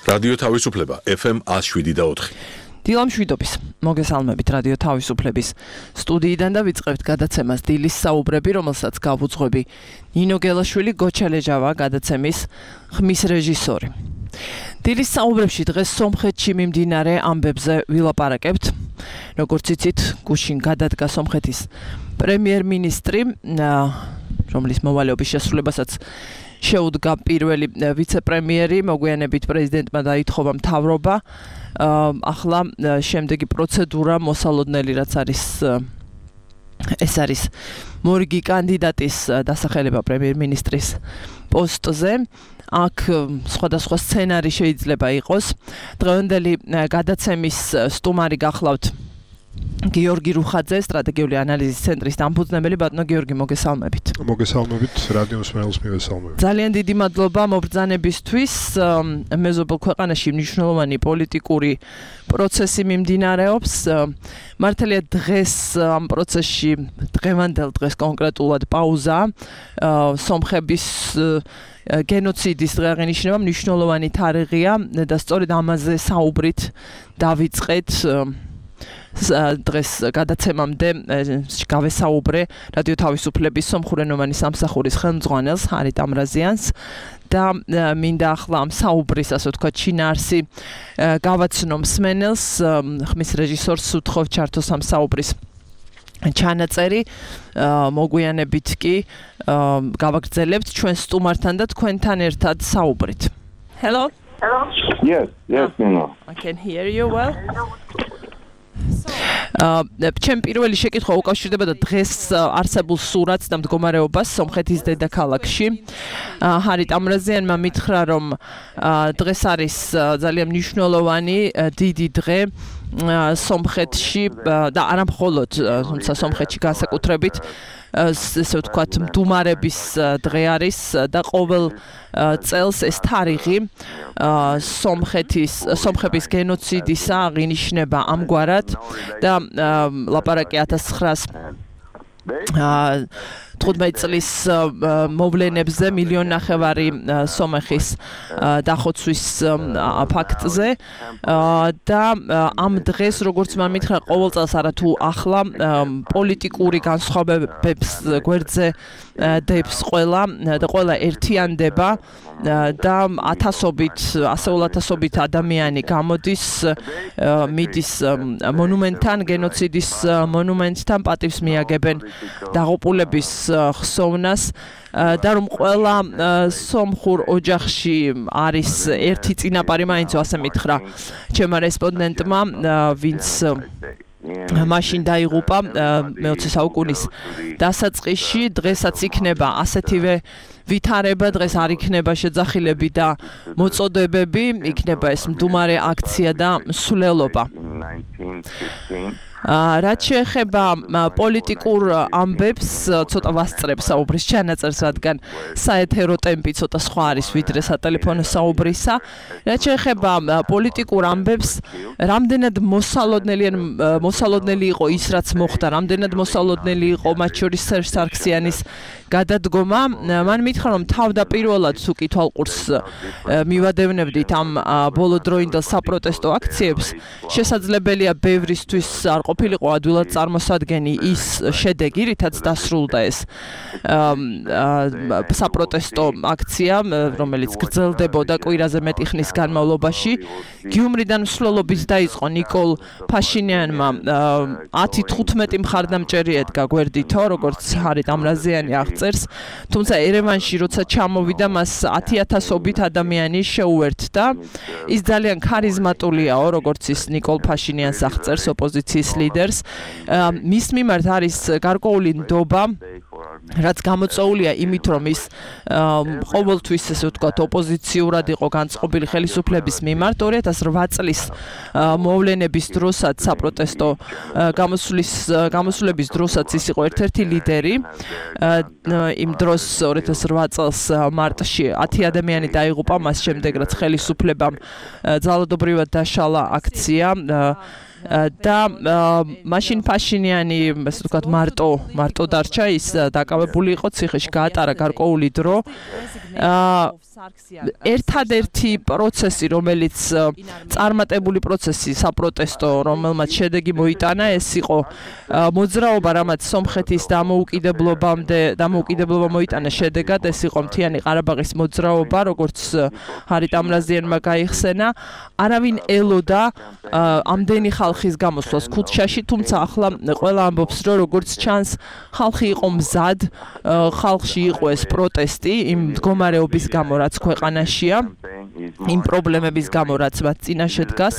რადიო თავისუფლება FM 107.4. დილამშვიდობის მოგესალმებით რადიო თავისუფლების სტუდიიდან და ვიწყებთ გადაცემას დილის საუბრები, რომელსაც გავუძღვები ნინო გელაშვილი, გოჩალეჟავა, გადაცემის ხმის რეჟისორი. დილის საუბრებში დღეს სომხეთში მიმდინარე ამბებზე ვილაპარაკებთ. როგორც იცით, გუშინ გადადგა სომხეთის პრემიერ-მინისტრი, რომლის მოვალეობის შესრულებასაც შეუდგა პირველი ვიცე-პრემიერი, მოგვიანებით პრეზიდენტმა დაითხოვა მთავრობა. ახლა შემდეგი პროცედურა მოსალოდნელი რაც არის ეს არის მორიგი კანდიდატის დასახელება პრემიერ-მინისტრის პოსტზე. აქ სხვადასხვა სცენარი შეიძლება იყოს. დღევანდელი გადაცემის სტუმარი გახლავთ გიორგი რუხაძე, სტრატეგიული ანალიზის ცენტრის დამფუძნებელი. ბატონო გიორგი, მოგესალმებით. მოგესალმებით, რადიო მსმენელს მივესალმებით. ძალიან დიდი მადლობა მობრძანებისთვის. მეზობელ ქვეყანაში მნიშვნელოვანი პოლიტიკური პროცესი მიმდინარეობს. მართალია დღეს ამ პროცესში დღევანდელ დღეს კონკრეტულად პაუზა. სომხების გენოციდის დღე აღინიშნება მნიშვნელოვანი თარიღია და სწორედ ამაზე საუბრით დავიწყეთ. დღეს გადაცემამდე გავესაუბრე რადიო თავისუფლების სომხურენოვანი სამსახურის ხელმძღვანელს ჰარით ამრაზიანს და მინდა ახლა ამ საუბრის, ასე ვთქვათ, შინაარსი გავაცნო მსმენელს, ხმის რეჟისორს უთხოვ ჩართოს ამ საუბრის ჩანაწერი. მოგვიანებით კი გავაგრძელებთ ჩვენ სტუმართან და თქვენთან ერთად საუბრით. Hello? Yes, Nino. I can hear you well. ჩემ პირველი შეკითხვა უკავშირდება და დღეს არსებულ სურათს და მდგომარეობას სომხეთის დედაქალაქში. ჰარით ამრაზიანმა მითხრა, რომ დღეს არის ძალიან მნიშვნელოვანი დიდი დღე სომხეთში და არა მხოლოდ, თუმცა სომხეთში განსაკუთრებით ესე ვთქვათ მდუმარების დღე არის და ყოველ წელს ეს თარიღი სომხების გენოციდისა აღინიშნება ამგვარად და ლაპარაკი 1915 წლის მოვლენებზე, 1.5 მილიონი სომეხის დახოცვის ფაქტზე და ამ დღეს, როგორც მან მითხრა, ყოველ წელს არათუ ახლა პოლიტიკური განსხვავებებს გვერდზე დებს ყველა და ყველა ერთიანდება და ასეულ ათასობით ადამიანი გამოდის, მიდის მონუმენტთან, გენოციდის მონუმენტთან, პატივს მიაგებენ დაღუპულების ხსოვნას და რომ ყველა სომხურ ოჯახში არის ერთი წინაპარი, მაინც ასე მითხრა ჩემმა რესპონდენტმა, ვინც მაშინ დაიღუპა მე-20 საუკუნის დასაწყისში. დღესაც იქნება ასეთივე ვითარება, დღეს არ იქნება შეძახილები და მოწოდებები, იქნება ეს მდუმარე აქცია და მსვლელობა. რაც შეეხება პოლიტიკურ ამბებს, ცოტა ვასწრებ საუბრის ჩანაწერს, რადგან საეთერო ტემპი ცოტა სხვა არის ვიდრე სატელეფონო საუბრისა. რაც შეეხება პოლიტიკურ ამბებს, რამდენად მოსალოდნელი იყო ის, რაც მოხდა, რამდენად მოსალოდნელი იყო მათ შორის სერჟ სარქსიანის გადადგომა. მან მითხრა, რომ თავდაპირველად თუ კი თვალყურს მივადევნებდით ამ ბოლოდროინდელ საპროტესტო აქციებს, შესაძლებელია ბევრისთვის არ ყოფილიყო ადვილად წარმოსადგენი ის შედეგი, რითაც დასრულდა ეს საპროტესტო აქცია, რომელიც გრძელდებოდა კვირაზე მეტი ხნის განმავლობაში. გიუმრიდან მსვლელობით დაიწყო ნიკოლ ფაშინიანმა 10-15 მხარდამჭერი ედგა გვერდითო, როგორც ჰარით ამრაზიანი აღწერს, თუმცა ერევანში როცა ჩამოვიდა, მას 10,000-ობით ადამიანი შეუერთდა. ის ძალიან ქარიზმატულია, როგორც ის ნიკოლ ფაშინიანს აღწერს, ოპოზიციის ლიდერს. მის მიმართ არის გარკვეული ნდობა, რაც გამოწვეულია იმით, რომ ის ყოველთვის ესე ვთქვათ ოპოზიციურად იყო განწყობილი ხელისუფლების მიმართ. 2008 წლის მოვლენების დროსაც, საპროტესტო გამოსვლების დროსაც ის იყო ერთ-ერთი ლიდერი. იმ დროს 2008 წელს მარტში 10 ადამიანი დაიღუპა, მას შემდეგ რაც ხელისუფლებამ ძალადობრივად დაშალა აქცია. და მაშინ ფაშინიანი ასე ვთქვათ მარტო დარჩა ის დაკავებული იყო ციხეში გაატარა გარკვეული დრო ერთადერთი პროცესი რომელიც წარმატებული პროცესი საპროტესტო რომელმაც შედეგი მოიტანა ეს იყო მოძრაობა რამაც სომხეთის დამოუკიდებლობა მოიტანა შედეგად ეს იყო მთიანი ყარაბაღის მოძრაობა როგორც ჰარით ამრაზიანმა გაიხსენა არავინ ელოდა ამდენი ხალხის გამოსვლას ქუთჩაში თუმცა ახლა ყველა ამბობს რომ როგორც ჩანს ხალხი იყო მზად ხალხში იყო ეს პროტესტი იმ მდგომარეობის გამო რაც ქვეყანაშია იმ პრობლემების გამო რაც მათ წინაშე დგას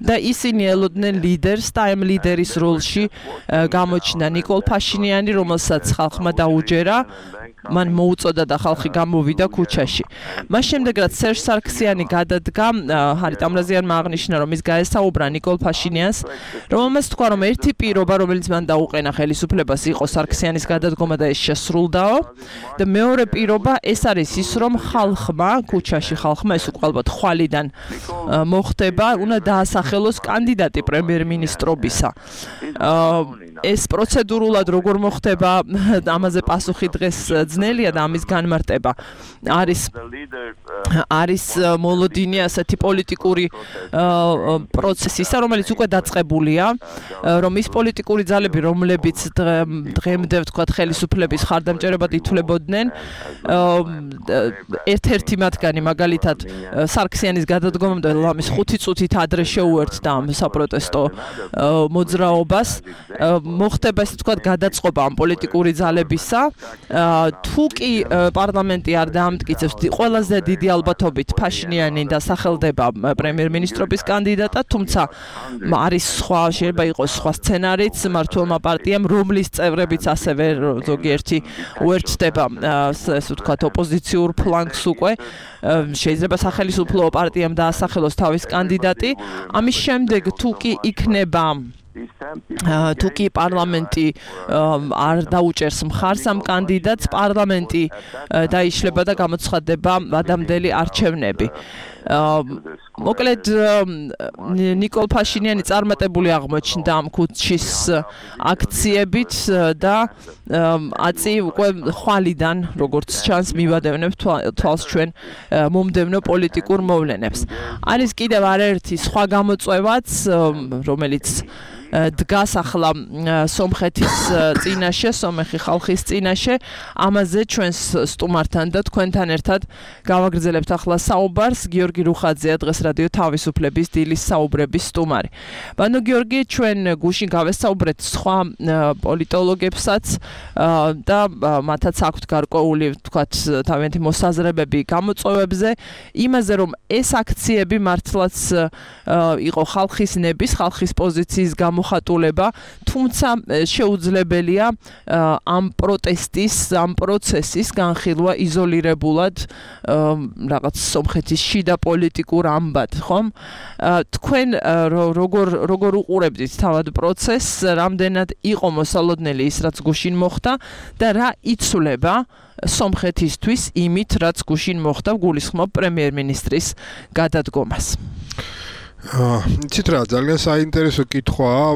და ისინი ელოდნენ ლიდერს და ამ ლიდერის როლში გამოჩნდა ნიკოლ ფაშინიანი რომელსაც ხალხმა დაუჯერა მან მოუწოდა და ხალხი გამოვიდა ქუჩაში. მას შემდეგ რაც სერჟ სარქსიანი გადადგა, ჰარით ამრაზიანმა აღნიშნა რომ ის გაესაუბრა ნიკოლ ფაშინიანს, რომელმაც თქვა რომ ერთი პირობა რომელიც მან დაუყენა ხელისუფლებას იყო სარქსიანის გადადგომა და ეს შესრულდაო და მეორე პირობა ეს არის ის რომ ხალხმა ქუჩაში ხალხმა ეს უკვე ალბათ ხვალიდან მოხდება, უნდა დაასახელოს კანდიდატი პრემიერ-მინისტრობისა. ეს პროცედურულად როგორ მოხდება, ამაზე პასუხი დღეს ძნელია და ამის განმარტება არის მოლოდინი ასეთი პოლიტიკური პროცესისა, რომელიც უკვე დაწყებულია, რომ ის პოლიტიკური ძალები, რომლებიც დღემდე ვთქვათ ხელისუფლების ხარდამჭერებად ითვლებოდნენ, ერთ-ერთი მათგანი მაგალითად სარქსიანის გადადგომამდე ლამის 5 წუთით ადრე შეუერთდა ამ საპროტესტო მოძრაობას. მოხდება ესე ვთქვათ გადაწყობა ამ პოლიტიკური ძალებისა. თუ კი პარლამენტი არ დაამტკიცებს ყველაზე დიდი ალბათობით ფაშინიანი დასახელდება პრემიერ-მინისტრობის კანდიდატად, თუმცა არის სხვა, შეიძლება იყოს სხვა სცენარიც მმართველმა პარტიამ, რომლის წევრებიც ასევე ზოგიერთი უერთდება ესე ვთქვათ ოპოზიციურ ფლანგს უკვე შეიძლება სახელმწიფო პარტიამ დაასახელოს თავის კანდიდატი. ამის შემდეგ თუ კი იქნება თუ კი პარლამენტი არ დაუჭერს მხარს ამ კანდიდატს, პარლამენტი დაიშლება და გამოცხადდება ადამდელი არჩევნები. მოკლედ ნიკოლ ფაშინიანი წარმატებული აღმოჩნდა ამ ქუჩის აქციებით და აწი უკვე ხვალიდან როგორც ჩანს მივადევნებ თვალს ჩვენ მომდევნო პოლიტიკურ მოვლენებს. არის კიდევ არაერთი სხვა გამოწვევაც, რომელიც დგას ახლა სომხეთის წინაშე, სომეხი ხალხის წინაშე, ამაზე ჩვენს სტუმართან და თქვენთან ერთად გავაგრძელებთ ახლა საუბარს. გიორგი რუხაძეა დღეს რადიო თავისუფლების დილის საუბრების სტუმარი. ბანო გიორგი, ჩვენ გუშინ გავესაუბრეთ სხვა პოლიტოლოგებსაც და მათაც აქვთ გარკვეული, ვთქვათ, თავიანთი მოსაზრებები გამოწვევებზე, იმაზე რომ ეს აქციები მართლაც იყო ხალხის ნების, ხალხის პოზიციის გამოხატულება, თუმცა შეუძლებელია ამ პროტესტის, ამ პროცესის განხილვა იზოლირებულად რაღაც სომხეთის შიდა პოლიტიკურ ამბად, ხომ? თქვენ როგორ უყურებდით თავად პროცესს, რამდენად იყო მოსალოდნელი ის, რაც გუშინ მოხდა და რა იცვლება სომხეთისთვის იმით, რაც გუშინ მოხდა, გულისხმობ პრემიერ-მინისტრის გადადგომას. იცით რა, ძალიან საინტერესო კითხვაა,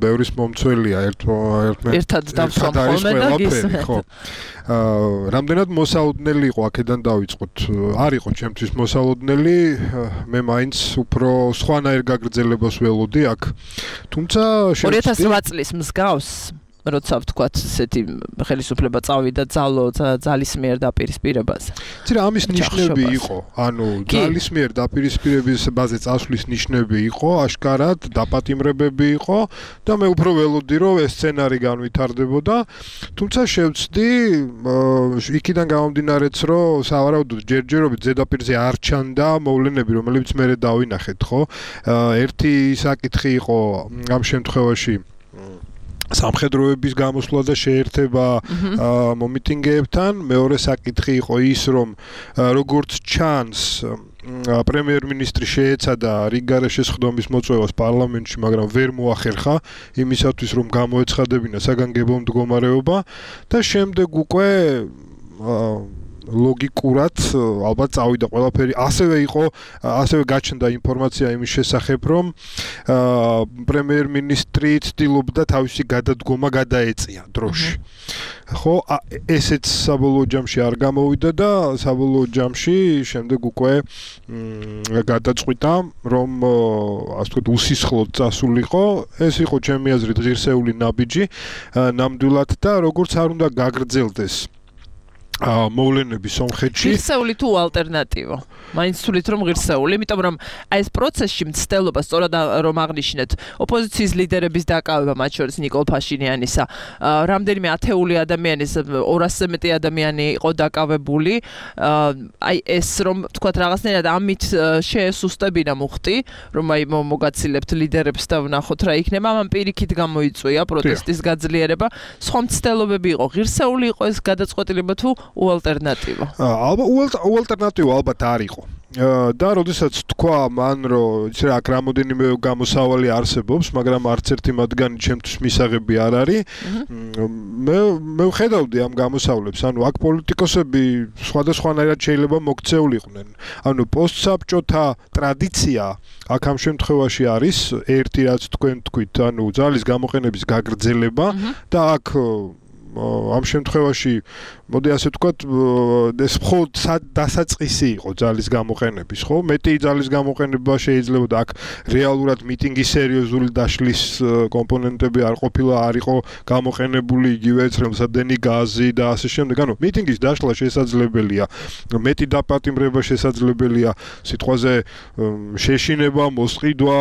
ბევრის მომცველია ერთად დავსვამხოლმე და გისმენთ. რამდენად მოსალოდნელი იყო აქედან დავიწყოთ. არ იყო ჩემთვის მოსალოდნელი, მე მაინც უფრო სხვანაირ გაგრძელებას ველოდი აქ. თუმცა 2008 წლის მსგავს როცა ვთქვათ, ესეთი ხელისუფლება წავიდა ძალის მიერ დაპირისპირებაზე. ცირა ამის ნიშნები იყო, ანუ ძალის მიერ დაპირისპირებაზე წასვლის ნიშნები იყო, აშკარად დაპატიმრებები იყო და მე უფრო ველოდი რომ ეს სცენარი განვითარდებოდა. თუმცა შევცდი იქიდან გამომდინარეც რომ სავარაუდოდ ჯერჯერობით ზედაპირზე არ ჩანდა მოვლენები, რომლებიც მე დავინახეთ, ხო? ერთი საკითხი იყო ამ შემთხვევაში სამხედროების გამოსვლა და შეერთება მომიტინგეებთან, მეორე საკითხი იყო ის, რომ როგორც ჩანს პრემიერ-მინისტრი შეეცადა რიგგარეშე სხდომის მოწვევას პარლამენტში, მაგრამ ვერ მოახერხა იმისათვის, რომ გამოეცხადებინა საგანგებო მდგომარეობა და შემდეგ უკვე ლოგიკურად ალბათ წავიდა ყველაფერი. ასევე გაჩნდა ინფორმაცია იმის შესახებ, რომ პრემიერ-მინისტრი ცდილობდა თავისი გადადგომა გადაეწია დროში. ხო, ესეც საბოლოო ჯამში არ გამოვიდა და საბოლოო ჯამში შემდეგ უკვე გადაწყვიტა, რომ ასე ვთქვათ, უსისხლოდ წასულიყო. ეს იყო ჩემი აზრით ღირსეული ნაბიჯი, ნამდვილად და როგორც არ უნდა გაგრძელდეს მოვლენები სომხეთში. ღირსეული თუ ალტერნატივა? მაინც თulit რომ ღირსეული, იმიტომ რომ აი ეს პროცესში მცდელობა სწორად რომ აღნიშნეთ, ოპოზიციის ლიდერების დაკავება, მათ შორის ნიკოლ ფაშინიანისა, რამდენიმე ათეული ადამიანის 200-ზე მეტი ადამიანი იყო დაკავებული. აი ეს რომ თქვათ რაღაცნაირად ამით შეესუსტებინა მუხტი, რომ აი მოგაცილებთ ლიდერებს და ვნახოთ რა იქნება, ამან პირიქით გამოიწვია პროტესტის გაძლიერება. სხვა მცდელობები იყო, ღირსეული იყო ეს გადაწყვეტილება თუ უალტერნატივა? უალტერნატივა ალბათ არ იყო. და როდესაც თქვა მან, რომ იცი რა, აქ რამოდენიმე გამოსავალი არსებობს, მაგრამ არც ერთი მათგანი ჩემთვის მისაღები არ არის. მე ვხედავდი ამ გამოსავლებს, ანუ აქ პოლიტიკოსები სხვადასხვანაირად შეიძლება მოქცეულიყვნენ. ანუ პოსტსაბჭოთა ტრადიცია აქ ამ შემთხვევაში არის ერთი, რაც თქვენ თქვით, ანუ ძალის გამოყენების გაგრძელება და აქ ამ შემთხვევაში მოდი ასე ვთქვათ, ეს მხოლოდ დასაწყისი იყო ძალის გამოყენების, ხო? მეტი ძალის გამოყენება შეიძლება და აქ რეალურად მიტინგის სერიოზული დაშლის კომპონენტები არ ყოფილა, არ იყო გამოყენებული იგივე ცხელსადენი გაზი და ასე შემდეგ. ანუ მიტინგის დაშლა შესაძლებელია, მეტი დაპატიმრება შესაძლებელია, სიტყვაზე შეშინება, მოსყიდვა,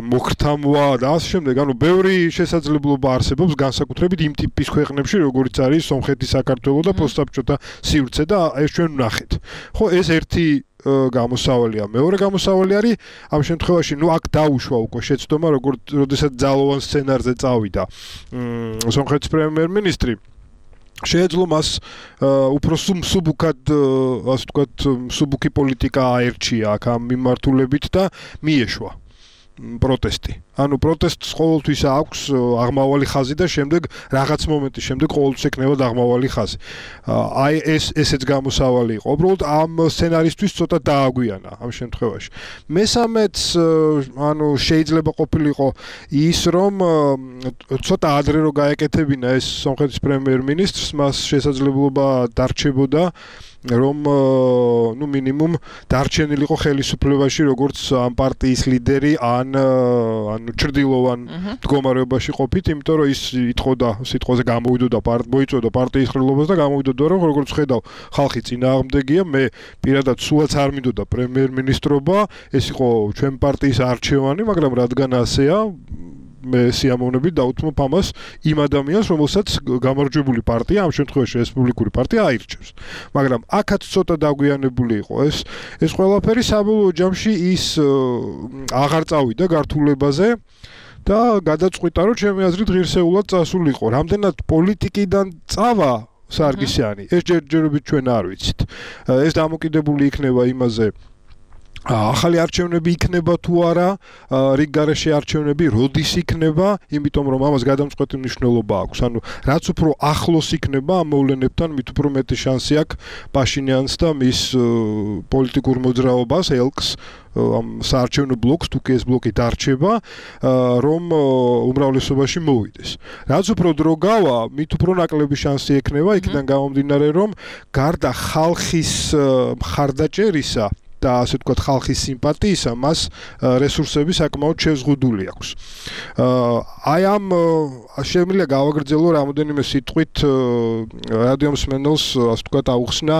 მოგრთამვა და ასე შემდეგ. ანუ ბევრი შესაძლებლობა არსებობს განსაკუთრებით იმ ტიპის ქვეყნებში, როგორც არის სომხეთი, საქართველო და პოსტსაბჭოთა სივრცე და ეს ჩვენ ვნახეთ. ხო, ეს ერთი გამოსავალია. მეორე გამოსავალი არის ამ შემთხვევაში, აქ დაუშვა უკვე შეცდომა, როდესაც ძალოვან სცენარზე წავიდა სომხეთის პრემიერ-მინისტრი. შეეძლო მას უფრო მსუბუქად, ასე ვთქვათ, მსუბუქი პოლიტიკა აერჩია აქ ამ მიმართულებით და მიეშვა პროტესტი. ანუ პროტესტს ყოველთვის აქვს აღმავალი ხაზი და შემდეგ რაღაც მომენტის შემდეგ ყოველთვის ექნება აღმავალი ხაზი. აი ესეც გამოსავალი იყო. უბრალოდ ამ სცენარისთვის ცოტა დააგვიანა ამ შემთხვევაში. მესამეც, ანუ შეიძლება ყოფილიყო ის, რომ ცოტა ადრე რო გაეკეთებინა ეს სომხეთის პრემიერ-მინისტრს, მას შესაძლებლობა დარჩებოდა რომ მინიმუმ დარჩენილიყო ხელისუფლებაში როგორც ამ პარტიის ლიდერი ან ჭრდილოვან მდგომარეობაში ყოფით, იმიტომ რომ ის იტყოდა სიტყვაზე გამოვიდოდა მოიწოდა პარტიის ხელობას და გამოვიდოდა რომ როგორც ხედავ ხალხი წინააღმდეგია, მე პირადად სულაც არ მინდოდა პრემიერ-მინისტრობა, ეს იყო ჩვენ პარტიის არჩევანი, მაგრამ რადგან ასეა მე სიამოვნებით დავუთმობ ამას იმ ადამიანს, რომელსაც გამარჯვებული პარტია, ამ შემთხვევაში რესპუბლიკური პარტია აირჩევს. მაგრამ აქაც ცოტა დაგვიანებული იყო ეს ყველაფერი საბოლოო ჯამში ის აღარ წავიდა გართულებაზე და გადაწყვიტა, რომ ჩემი აზრით ღირსეულად წასულიყო. რამდენად პოლიტიკიდან წავა სარგისიანი, ეს ჯერჯერობით ჩვენ არ ვიცით. ეს დამოკიდებული იქნება იმაზე, ახალი არჩევნები იქნება თუ არა, რიგ გარეშე არჩევნები როდის იქნება, იმიტომ რომ ამას გადამწყვეტი მნიშვნელობა აქვს. ანუ რაც უფრო ახლოს იქნება ამ მოვლენებთან, მით უფრო მეტი შანსი აქვს პაშინიანს და მის პოლიტიკურ მოძრაობას, ელკს, ამ საარჩევნო ბლოკს, თუ კი ეს ბლოკი დარჩება, რომ უმრავლესობაში მოვიდეს. რაც უფრო დრო გავა, მით უფრო ნაკლები შანსი ექნება, იქიდან გამომდინარე, რომ გარდა ხალხის მხარდაჭერისა და ასე ვთქვათ ხალხის სიმპათიისა, მას რესურსები საკმაოდ შეზღუდული აქვს. აი ამ შემიძლია გავაგრძელო რამოდენიმე სიტყვით რადიო მსმენელს, ასე ვთქვათ, აუხსნა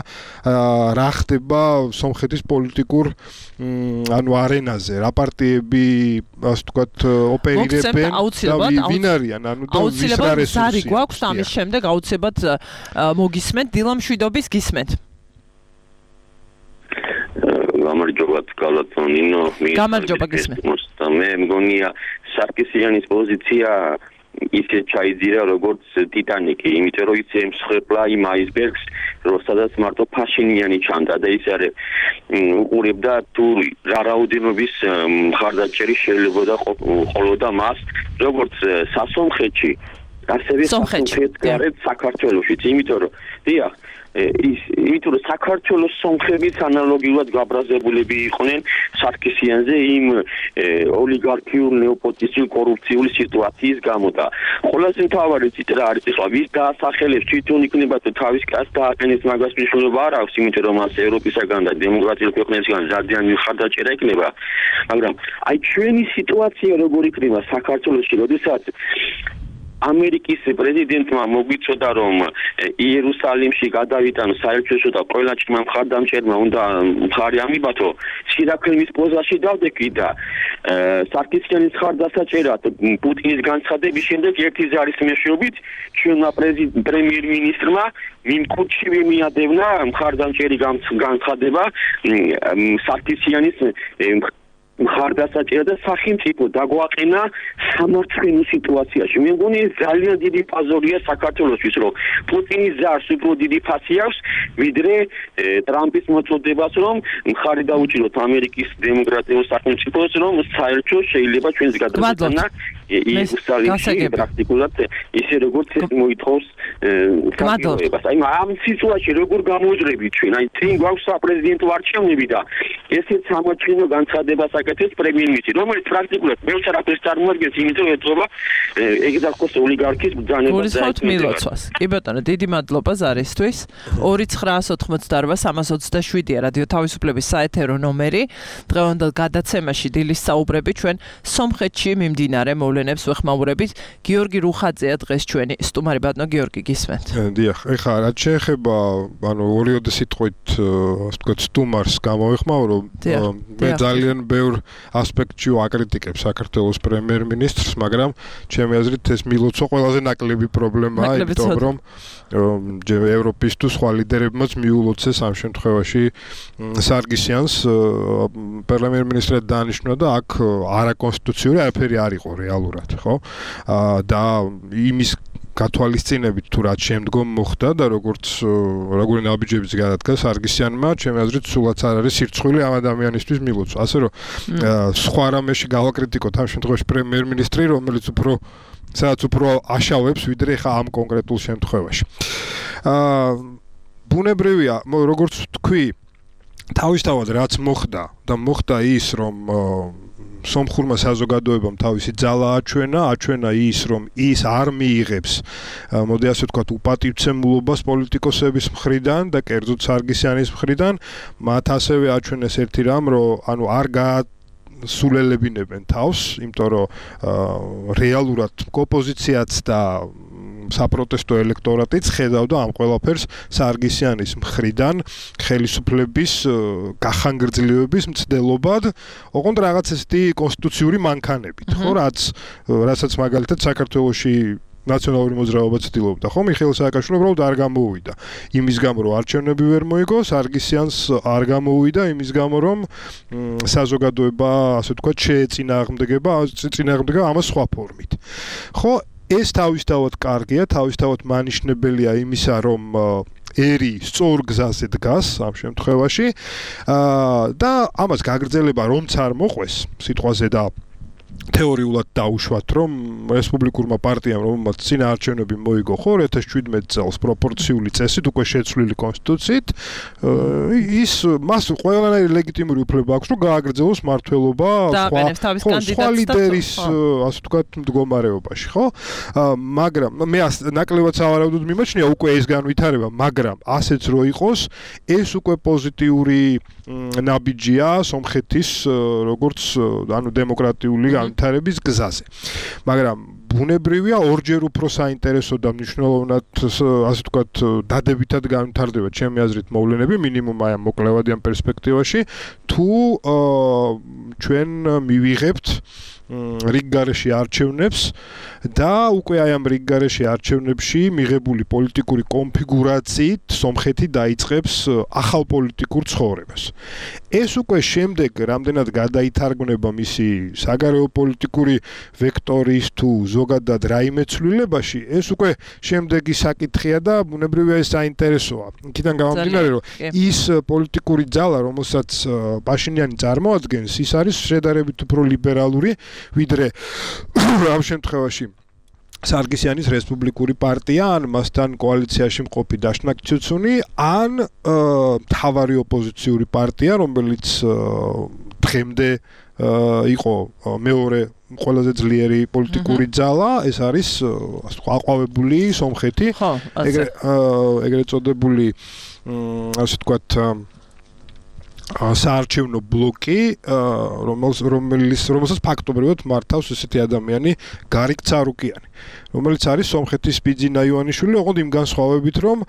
რა ხდება სომხეთის პოლიტიკურ ანუ არენაზე, რა პარტიები, ასე ვთქვათ, ოპერირებენ და ვინ არიან, ანუ და ვის რა რესურსი გვაქვს ამის შემდეგ აუცილებლად მოგისმენთ დილამ შვიდობის გისმენთ. გამარჯობა კალათონინო, გამარჯობა გისმენთ. მე მგონია სარკისიანის პოზიცია ისე ჩაიძირა როგორც ტიტანიკი, იმიტომ რომ ის ემსხვერპლა იმ აისბერგს, სადაც მარტო ფაშინიანი ჩანდა და ის არის უყურებდა თუ რა რაოდენობის მხარდაჭერი შეიძლება ყოლოდა მას, როგორც სასომხეთში, ასევე სამხრეთ საქართველოშიც, იმიტომ რომ დიახ იმიტომ რომ საქართველოს სომხებიც ანალოგიურად გაბრაზებულები იყვნენ სარქისიანზე იმ ოლიგარქიულ ნეოპოტიზმურ კორუფციული სიტუაციის გამო და ყველაზე მთავარი ციტა არის ახლა ვის დაასახელებს თვითონ იქნება თუ თავის კაც დააყენებს მაგას მნიშვნელობა არ აქვს იმიტომ რომ მას ევროპისაგან და დემოკრატიულ ქვეყნებისგან ძალიან მხარდაჭერა იქნება მაგრამ აი ჩვენი სიტუაცია როგორ იქნება საქართველოში როდესაც ამერიკის პრეზიდენტმა მოგვიწოდა რომ იერუსალიმში გადავიტანო საელჩო და ყველა ჭმა მხარდამჭერმა უნდა მხარი ამიბათო სირაქლემის პოზაში დავდექი და სარქისიანის მხარდასაჭერად პუტინის განცხადების შემდეგ ერთი ზარის მეშვეობით ჩვენმა პრემიერ-მინისტრმა მიმკუთში მიადევნა მხარდამჭერი განცხადება სარქისიანის მხარდასაჭერად და სახელმწიფო დაგვაყენა სამართლიანი სიტუაციაში. მე მგონი ძალიან დიდი პაზორია საქართველოსთვის, რომ პუტინის ზარს უფრო დიდი ფასი აქვს, ვიდრე ტრამპის მოწოდებას, რომ მხარი დაუჭიროთ ამერიკის დემოკრატიულ სახელმწიფოს, რომ საერთო შეიძლება ჩვენს გადაწყვეტა იერუსალიმში პრაქტიკულად ისე როგორც ეს მოითხოვს საქართველოს. აი ამ სიტუაციაში როგორ გამოძრებით ჩვენ? აი წინ გვაქვს საპრეზიდენტო არჩევნები და ესეც სამართლიანო განცხადებას აკეთებს პრემიერ-მინისტრი, რომელიც პრაქტიკულად მეუჩარ აფერს წარმოადგენს, იმიტომ ეთქობა ეგზარქოს ოლიგარქის ბრძანება და მილოცვას. კი ბატონო, დიდი მადლობა ზარისთვის. 2988-327-ია რადიო თავისუფლების საეთერო ნომერი. დღევანდელ გადაცემაში დილის საუბრები ჩვენ სომხეთში მიმდინარე მოვლენებს ვეხმაურებით. გიორგი რუხაძეა დღეს ჩვენი სტუმარი. ბატონო გიორგი, გისმენთ. დიახ, ეხლა რაც შეეხება, ორივე სიტყვით, ასე ვთქვათ, სტუმარს გამოვეხმაურო, მე ძალიან ბევრ ასპექტში ვაკრიტიკებ საქართველოს პრემიერ-მინისტრს, მაგრამ ჩემი აზრით ეს მილოცვა ყველაზე ნაკლები პრობლემაა, იმიტომ რომ ევროპის თუ სხვა ლიდერებმაც მიულოცეს ამ შემთხვევაში სარგისიანს პრემიერ-მინისტრად დაანიშნვა და აქ არაკონსტიტუციური არაფერი არ იყო რეალურად, ხო? და იმის გათვალისწინებით თუ რაც შემდგომ მოხდა და როგორი ნაბიჯებიც გადადგა სარგისიანმა, ჩემი აზრით სულაც არ არის სირცხვილი ამ ადამიანისთვის მილოცვა. ასე რომ სხვა რამეში გავაკრიტიკოთ ამ შემთხვევაში პრემიერ-მინისტრი, რომელიც სადაც უფრო აშავებს ვიდრე ხა ამ კონკრეტულ შემთხვევაში. ბუნებრივია, როგორც თქვი, თავისთავად რაც მოხდა და მოხდა ის, რომ სომხურმა საზოგადოებამ თავისი ძალა აჩვენა ის, რომ ის არ მიიღებს, მოდი ასე ვთქვათ, უპატივცემულობას პოლიტიკოსების მხრიდან და კერძოდ სარგისიანის მხრიდან, მათ ასევე აჩვენეს ერთი რამ, რომ არ სულელებინებენ თავს, იმიტომ რომ რეალურად ოპოზიციაც და საპროტესტო ელექტორატიც ხედავდა ამ ყველაფერს სარგისიანის მხრიდან ხელისუფლების გახანგრძლივების მცდელობად, ოღონდ რაღაც ესეთი კონსტიტუციური მანქანებით, ხო, რასაც მაგალითად საქართველოში ნაციონალური მოძრაობა ცდილობდა, ხო, მიხეილ სააკაშვილი უბრალოდ არ გამოუვიდა. იმის გამო, რომ არჩევნები ვერ მოიგო, სარგისიანს არ გამოუვიდა, იმის გამო, რომ საზოგადოება, ასე ვთქვათ, შეეწინააღმდეგება ამას სხვა ფორმით. ხო, ეს თავისთავად კარგია, თავისთავად მანიშნებელია იმისა, რომ ერი სწორ გზაზე დგას ამ შემთხვევაში და ამას გაგრძელება რომც არ მოყვეს სიტყვაზე და თეორიულად დაუშვათ, რომ რესპუბლიკურმა პარტიამ, რომელმაც წინა არჩევნები მოიგო, ხო, 2017 წელს პროპორციული წესით, უკვე შეცვლილი კონსტიტუციით, მას ყველანაირი ლეგიტიმური უფლება აქვს, რომ გააგრძელოს მმართველობა სხვა ლიდერის, ასე ვთქვათ, მდგომარეობაში, ხო? მაგრამ მე ნაკლებად სავარაუდოდ მიმაჩნია უკვე ეს განვითარება, მაგრამ ასეც რო იყოს, ეს უკვე პოზიტიური ნაბიჯია სომხეთის როგორც დემოკრატიული განვითარების გზაზე. მაგრამ ბუნებრივია ორჯერ უფრო საინტერესო და მნიშვნელოვნად, ასე ვთქვათ, დადებითად განვითარდება ჩემი აზრით მოვლენები, მინიმუმ აი ამ მოკლევადიან პერსპექტივაში, თუ ჩვენ მივიღებთ რიგგარეში არჩევნებს და უკვე აი ამ რიგგარეში არჩევნებში მიღებული პოლიტიკური კონფიგურაციით სომხეთი დაიწყებს ახალ პოლიტიკურ ცხოვრებას. ეს უკვე შემდეგ რამდენად გადაითარგმნება მისი საგარეო პოლიტიკური ვექტორის თუ ზოგადად რაიმე ცვლილებაში, ეს უკვე შემდეგი საკითხია და ბუნებრივია ეს საინტერესოა. იქიდან გამომდინარე, რომ ის პოლიტიკური ძალა, რომელსაც პაშინიანი წარმოადგენს, ის არის შედარებით უფრო ლიბერალური ვიდრე ამ შემთხვევაში სარგისიანის რესპუბლიკური პარტია, ან მასთან კოალიციაში მყოფი დაშნაკ ცუცუნი, ან მთავარი ოპოზიციური პარტია, რომელიც დღემდე იყო მეორე ყველაზე ძლიერი პოლიტიკური ძალა, ეს არის აყვავებული სომხეთი, ეგრეთ წოდებული ასე ვთქვათ საარჩევნო ბლოკი, რომელსაც ფაქტობრივად მართავს ესეთი ადამიანი გარიგ ცარუკიანი, რომელიც არის სომხეთის ბიძინა ივანიშვილი, ოღონდ იმ განსხვავებით, რომ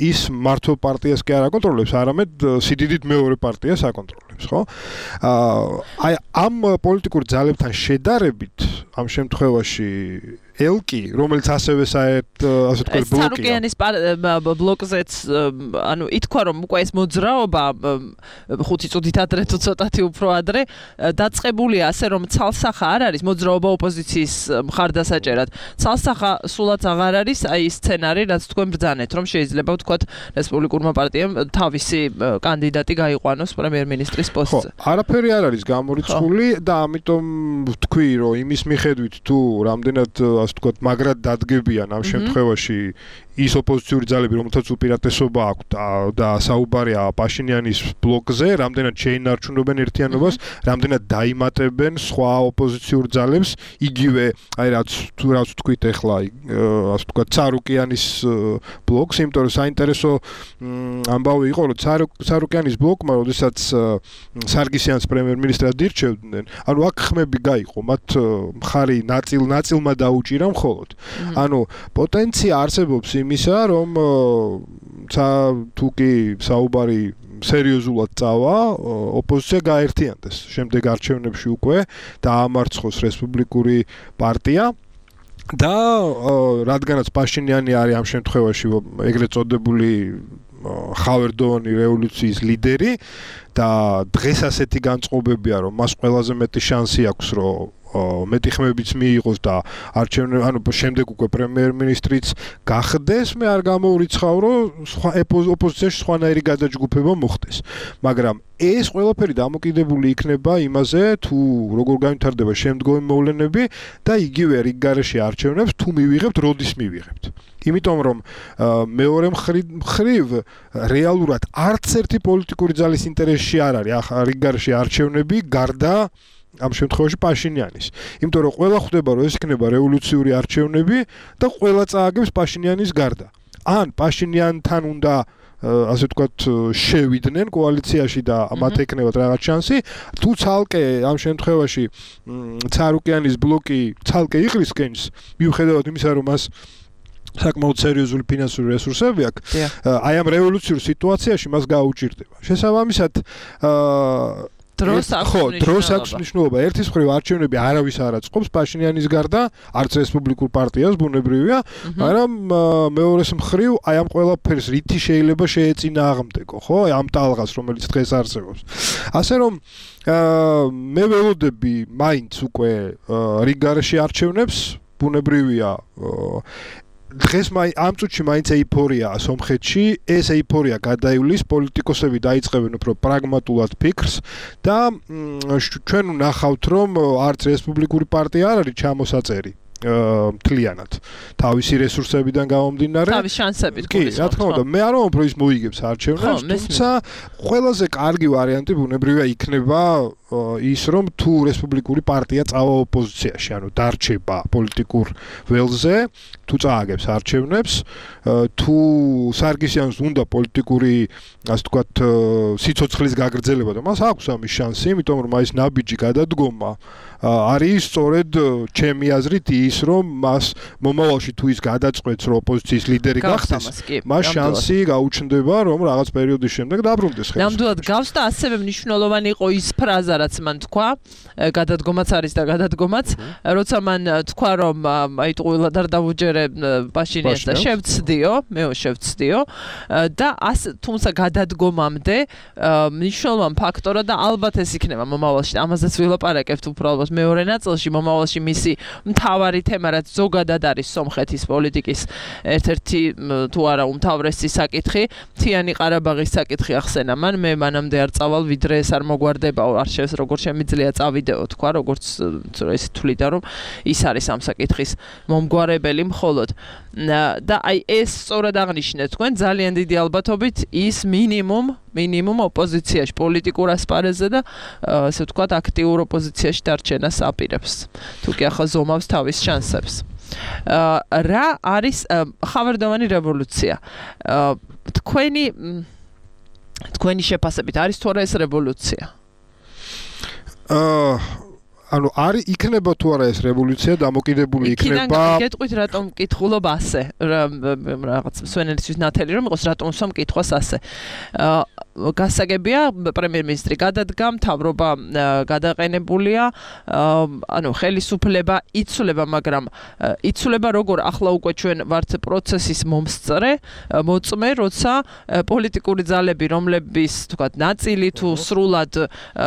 ის მართლ პარტიას კი არ აკონტროლებს, არამედ სიდიდით მეორე პარტიას აკონტროლებს, ხო? აი ამ პოლიტიკურ ძალებთან შედარებით, ამ შემთხვევაში ელკი, რომელიც ასევე საერთოდ ასე ვთქვათ ბლოკია. ცარუკიანის ბლოკზეც, ანუ ითქვა, რომ უკვე ეს მოძრაობა 5 წუთით ადრე თუ ცოტათი უფრო ადრე დაწყებულია ასე, რომ ცალსახა არ არის მოძრაობა ოპოზიციის მხარდასაჭერად. ცალსახა სულაც აღარ არის აი ის სცენარი, რაც თქვენ ბრძანეთ, რომ შეიძლება ვთქვათ რესპუბლიკურმა პარტიამ თავისი კანდიდატი გაიყვანოს პრემიერ-მინისტრის პოსტზე. არაფერი არ არის გამორიცხული და ამიტომ ვთქვი, რომ იმის მიხედვით თუ რამდენად ასე ვთქვათ მაგრად დადგებიან ამ შემთხვევაში ის ოპოზიციური ძალები, რომელთაც უპირატესობა აქვს და საუბარია პაშინიანის ბლოკზე, რამდენად შეინარჩუნებენ ერთიანობას, რამდენად დაიმატებენ სხვა ოპოზიციურ ძალებს, იგივე, აი რაც ვთქვით ახლა, ასე ვთქვათ, ცარუკიანის ბლოკს, იმიტომ რომ საინტერესო ამბავი იყო, რომ ცარუკიანის ბლოკმა, როდესაც სარგისიანს პრემიერ-მინისტრად ირჩევდნენ, ანუ აქ ხმები გაიყო, მათ მხარი ნაწილმა დაუჭირა მხოლოდ. ანუ პოტენცია არსებობს იმისა, რომ თუ კი საუბარი სერიოზულად წავა, ოპოზიცია გაერთიანდეს. შემდეგ არჩევნებში უკვე დაამარცხოს რესპუბლიკური პარტია და რადგანაც პაშინიანი არის ამ შემთხვევაში ეგრეთ წოდებული ხავერდოვანი რევოლუციის ლიდერი და დღეს ასეთი განწყობებია, რომ მას ყველაზე მეტი შანსი აქვს, რომ მეტი ხმებიც მიიღოს და არჩევნები, ანუ შემდეგ უკვე პრემიერ-მინისტრიც გახდეს, მე არ გამოურიცხავ, რომ ოპოზიციაში სხვანაირი გადაჯგუფება მოხდეს. მაგრამ ეს ყველაფერი დამოკიდებული იქნება იმაზე, თუ როგორ განვითარდება შემდგომი მოვლენები და იგივე რიგგარეშე არჩევნებს თუ მივიღებთ, როდის მივიღებთ. იმიტომ რომ მეორე მხრივ რეალურად არც ერთი პოლიტიკური ძალის ინტერესში არ არის რიგგარეშე არჩევნები გარდა ამ შემთხვევაში პაშინიანის. იმიტომ რომ ყველა ხვდება, რომ ეს იქნება რევოლუციური არჩევნები და ყველა წააგებს პაშინიანის გარდა. ან პაშინიანთან უნდა ასე ვთქვათ შევიდნენ კოალიციაში და მათ ეკნებათ რაღაც შანსი, თუ ცალკე ამ შემთხვევაში ცარუკიანის ბლოკი ცალკე იყრისკენს, მიუხედავად იმისა, რომ მას საკმაოდ სერიოზული ფინანსური რესურსები აქვს, აი ამ რევოლუციურ სიტუაციაში მას გაუჭირდება. შესაბამისად დროს აქვს მნიშვნელობა. ერთის მხრივ არჩევნები არავის არ აწყობს პაშინიანის გარდა, არც რესპუბლიკურ პარტიას ბუნებრივია, მაგრამ მეორეს მხრივ აი ამ ყველაფერს რითი შეიძლება შეეწინააღმდეგო, ხო? ამ ტალღას, რომელიც დღეს არსებობს. ასე რომ მე ველოდები მაინც უკვე რიგგარეშე არჩევნებს, ბუნებრივია დღეს ამ წუთში მაინც ეიფორიაა სომხეთში, ეს ეიფორია გადაივლის, პოლიტიკოსები დაიწყებენ უფრო პრაგმატულად ფიქრს და ჩვენ ვნახავთ, რომ არც რესპუბლიკური პარტია არ არის ჩამოსაწერი მთლიანად თავისი რესურსებიდან გამომდინარე. თავის შანსებით კი, რა თქმა უნდა, მე არ ვამბობ, რომ ის მოიგებს არჩევნებს, თუმცა ყველაზე კარგი ვარიანტი ბუნებრივია იქნება ის, რომ თუ რესპუბლიკური პარტია წავა ოპოზიციაში, ანუ დარჩება პოლიტიკურ ველზე, თუ წააგებს არჩევნებს, თუ სარგისიანს უნდა პოლიტიკური, ასე ვთქვათ, სიცოცხლის გაგრძელება და მას აქვს ამის შანსი, იმიტომ რომ ის ნაბიჯი გადადგომა არის სწორედ ჩემი აზრით ის, რომ მას მომავალში თუ ის გადაწყვეტს, რომ ოპოზიციის ლიდერი გახდეს, მას შანსი გაუჩნდება, რომ რაღაც პერიოდის შემდეგ დაბრუნდეს ხელს. ნამდვილად გავს და ასევე მნიშვნელოვანი იყო ის ფრაზა, რაც მან თქვა, გადადგომაც არის და გადადგომაც, როცა მან თქვა, რომ აი ყველა არ დავუჯერე პაშინიანს და შევცდიო, მეო შევცდიო და თუმცა გადადგომამდე მნიშვნელოვანი ფაქტორა და ალბათ ეს იქნება მომავალში, ამაზეც ვილაპარაკებთ უბრალოდ მეორე ნაწილში, მომავალში მისი მთავარი თემა, რაც ზოგადად არის სომხეთის პოლიტიკის ერთ-ერთი თუ არა უმთავრესი საკითხი, მთიანი ყარაბაღის საკითხი ახსენა მან, მე მანამდე არ წავალ, ვიდრე ეს არ მოგვარდება, არ ეს როგორც შემიძლია წავიდეო თქვა, როგორც ეს თვლიდა რომ ის არის ამ საკითხის მომგვარებელი მხოლოდ. და აი ეს სწორად აღნიშნეთ თქვენ ძალიან დიდი ალბათობით ის მინიმუმ ოპოზიციაში პოლიტიკურ ასპარეზზე და ასე ვთქვათ აქტიურ ოპოზიციაში დარჩენას აპირებს. თუ კი ახლა ზომავს თავის შანსებს. რა არის ხავერდოვანი რევოლუცია? თქვენი შეფასებით არის თუ არა ეს რევოლუცია? ანუ არის იქნება თუ არა ეს რევოლუცია დამოკიდებული იქნება გეტყვით რატომ მკითხულობ ასე რაღაც სვენელისთვის ნათელი რომ იყოს რატომ სამ მკითხვას ასე გასაგებია პრემიერ-მინისტრი გადადგა მთავრობა გადაყენებულია ანუ ხელისუფლება იცვლება მაგრამ იცვლება როგორ ახლა უკვე ჩვენ ვართ პროცესის მოწმე როცა პოლიტიკური ძალები რომლების თქვათ ნაწილი თუ სრულად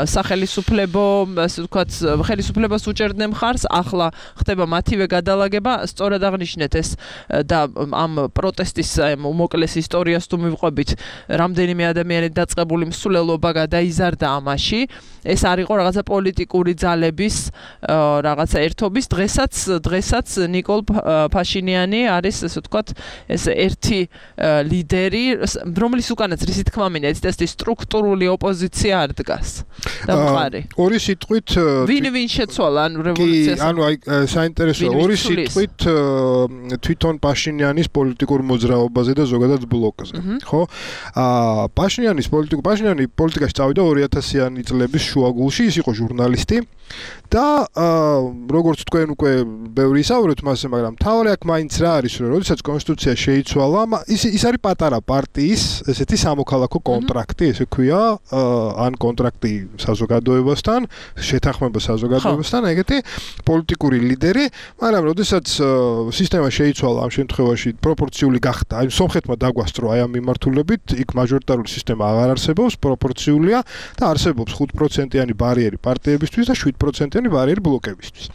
სახელისუფლებო ასე თქვათ ხელისუფლებას უჭერდნენ მხარს, ახლა ხდება მათივე გადალაგება, სწორად აღნიშნეთ ეს და ამ პროტესტის უმოკლეს ისტორიას თუ მივყვებით, რამდენიმე ადამიანი დაწყებული მსვლელობა გადაიზარდა ამაში. ეს არ იყო რაღაცა პოლიტიკური ძალების რაღაცა ერთობის, დღესაც ნიკოლ ფაშინიანი არის, ასე ვთქვათ, ეს ერთი ლიდერი, რომლის უკანაც რისი თქმა მინდა, ეს სტრუქტურული ოპოზიცია არ დგას. და მყარი. ორი სიტყვით ვინ შეცვალა ანუ რევოლუციას? ანუ აი საინტერესოა ორი სიტყვით თვითონ პაშინიანის პოლიტიკურ მოძრაობაზე და ზოგადად ბლოკზე, ხო? პაშინიანი პოლიტიკაში წავიდა 2000-იანი წლების შუაგულში, ის იყო ჟურნალისტი და როგორც თქვენ უკვე ბევრი ისაუბრეთ მასზე, მაგრამ თავი აქ მაინც რა არის, რომ როდესაც კონსტიტუცია შეიცვალა, ის არის პატარა პარტიის ესეთი სამოქალაქო კონტრაქტი, ესე ქვია, ან კონტრაქტი საზოგადოებასთან, შეთანხმება საზოგადოებასთან, ეგეთი პოლიტიკური ლიდერი, მაგრამ როდესაც სისტემა შეიცვალა ამ შემთხვევაში პროპორციული გახდა, აი სომხეთმა დაგვასწრო აი ამ მიმართულებით, იქ მაჟორიტარული სისტემა აღარ არსებობს, პროპორციულია და არსებობს 5%-იანი ბარიერი პარტიებისთვის და 7%-იანი ბარიერი ბლოკებისთვის.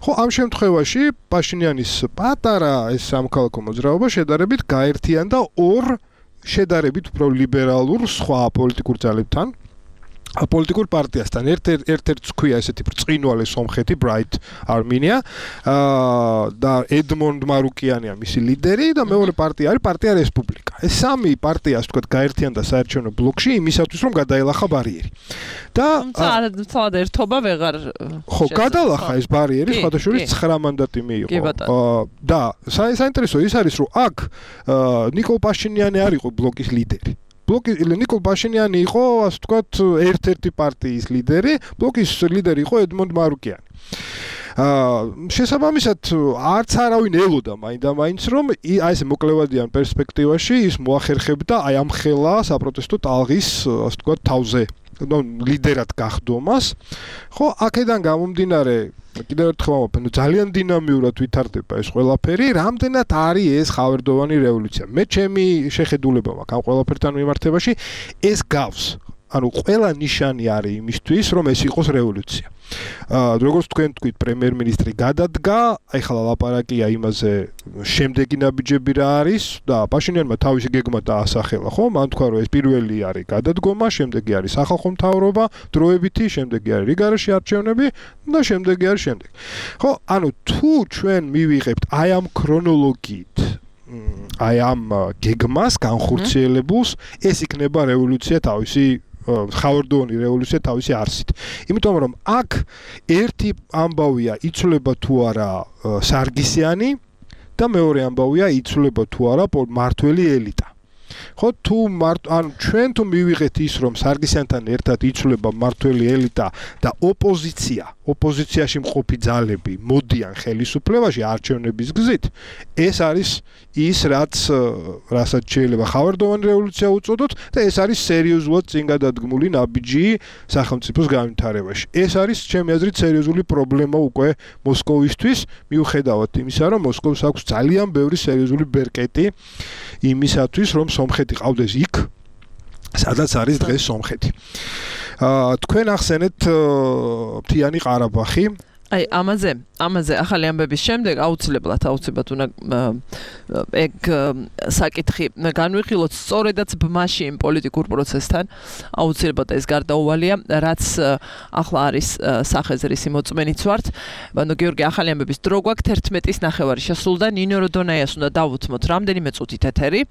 ხო, ამ შემთხვევაში პაშინიანის პატარა ეს სამოქალაქო მოძრაობა შედარებით გაერთიანდა ორ შედარებით უფრო ლიბერალურ სხვა პოლიტიკურ ძალებთან. პოლიტიკურ პარტიასთან ერთ-ერთს ქვია ესეთი ბრწყინვალე სომხეთი Bright Armenia და ედმონდ მარუკიანია მისი ლიდერი და მეორე პარტია არის პარტია რესპუბლიკა. ეს სამი პარტია ასე ვთქვათ გაერთიანდა საარჩევნო ბლოკში იმისათვის რომ გადაელახა ბარიერი. და თუმცა ერთობა ვეღარ ხო გადალახა ეს ბარიერი სხვადასხვა 9 მანდატი მიიღო. და საინტერესო ის არის რომ აქ ნიკოლ პაშინიანი არ იყო ბლოკის ლიდერი. ნიკოლ პაშინიანი იყო, ასე ვთქვათ, ერთ-ერთი პარტიის ლიდერი, ბლოკის ლიდერი იყო ედმონდ მარუკიანი. შესაბამისად, არც არავინ ელოდა მაინდა-მაინც, რომ აი ეს მოკლევადიან პერსპექტივაში ის მოახერხებდა აი ამ ხელა საპროტესტო ტალღის, ასე ვთქვათ, თავზე. ლიდერად გახდომას. ხო, აქედან გამომდინარე კიდევ ერთხელ ვამბობ, ძალიან დინამიურად ვითარდება ეს ყველაფერი, რამდენად არის ეს ხავერდოვანი რევოლუცია. მე ჩემი შეხედულება მაქვს ამ ყველაფერთან მიმართებაში, ეს გავს. ანუ ყველა ნიშანი არის იმისთვის, რომ ეს იყოს რევოლუცია. როგორც თქვენ თქვით, პრემიერ-მინისტრი გადადგა, ახლა ლაპარაკია იმაზე, შემდეგი ნაბიჯები რა არის და პაშინიანმა თავისი გეგმა დაასახელა, ხო? მან თქვა, რომ ეს პირველი არის გადადგომა, შემდეგი არის სახალხო მთავრობა, დროებითი, შემდეგი არის რიგარაში არჩევნები და შემდეგი არის შემდეგი. ხო, ანუ თუ ჩვენ მივიღებთ აი ამ ქრონოლოგიით აი ამ გეგმას განხორციელებულს, ეს იქნება რევოლუცია თავისი ხავერდოვანი რევოლუცია თავისი არსით. იმიტომ რომ აქ ერთი ამბავია იცვლება თუ არა სარგისიანი და მეორე ამბავია იცვლება თუ არა მართველი ელიტა. ხო თუ ან ჩვენ თუ მივიღეთ ის რომ სარგისიანთან ერთად იცვლება მართველი ელიტა და ოპოზიციაში მყოფი ძალები მოდიან ხელისუფლებაში არჩევნების გზით, ეს არის ის რასაც შეიძლება ხავერდოვანი რევოლუცია უწოდოთ და ეს არის სერიოზულად წინ გადადგმული ნაბიჯი სახელმწიფოს განვითარებაში. ეს არის ჩემი აზრით სერიოზული პრობლემა უკვე მოსკოვისთვის, მიუხედავად იმისა, რომ მოსკოვს აქვს ძალიან ბევრი სერიოზული ბერკეტი იმისათვის, რომ სომხეთი ყავდეს იქ, სადაც არის დღეს სომხეთი. თქვენ ახსენეთ მთიანი ყარაბაღი. აი ამაზე ახალი ამბების შემდეგ აუცილებლად უნდა ეგ საკითხი განვიხილოთ სწორედაც ბმაში იმ პოლიტიკურ პროცესთან აუცილებლად ეს გარდაუვალია რაც ახლა არის სახეზრის მოწმენიც ვართ გიორგი ახალი ამბების დრო გვაქვს 11:09 შესულდა ნინო როდონაიას უნდა დავუთმოთ რამდენიმე წუთით ეთერი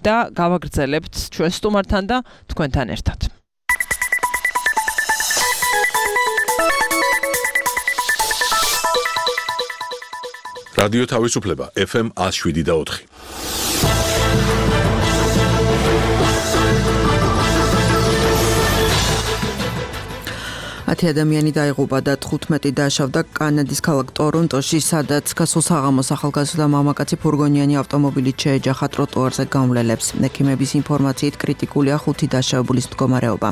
და გავაგრძელებთ ჩვენ სტუმართან და თქვენთან ერთად რადიო თავისუფლება FM 107.4 10 ადამიანი დაიღუპა და 15 დააშავდა კანადის ქალაქ ტორონტოში, სადაც გასულ საღამოს ახალგაზრდა მამაკაცი ფურგონიანი ავტომობილით შეეჯახა ტროტუარზე გამვლელებს. ექიმების ინფორმაციით კრიტიკულია 5 დააშავებულის მდგომარეობა.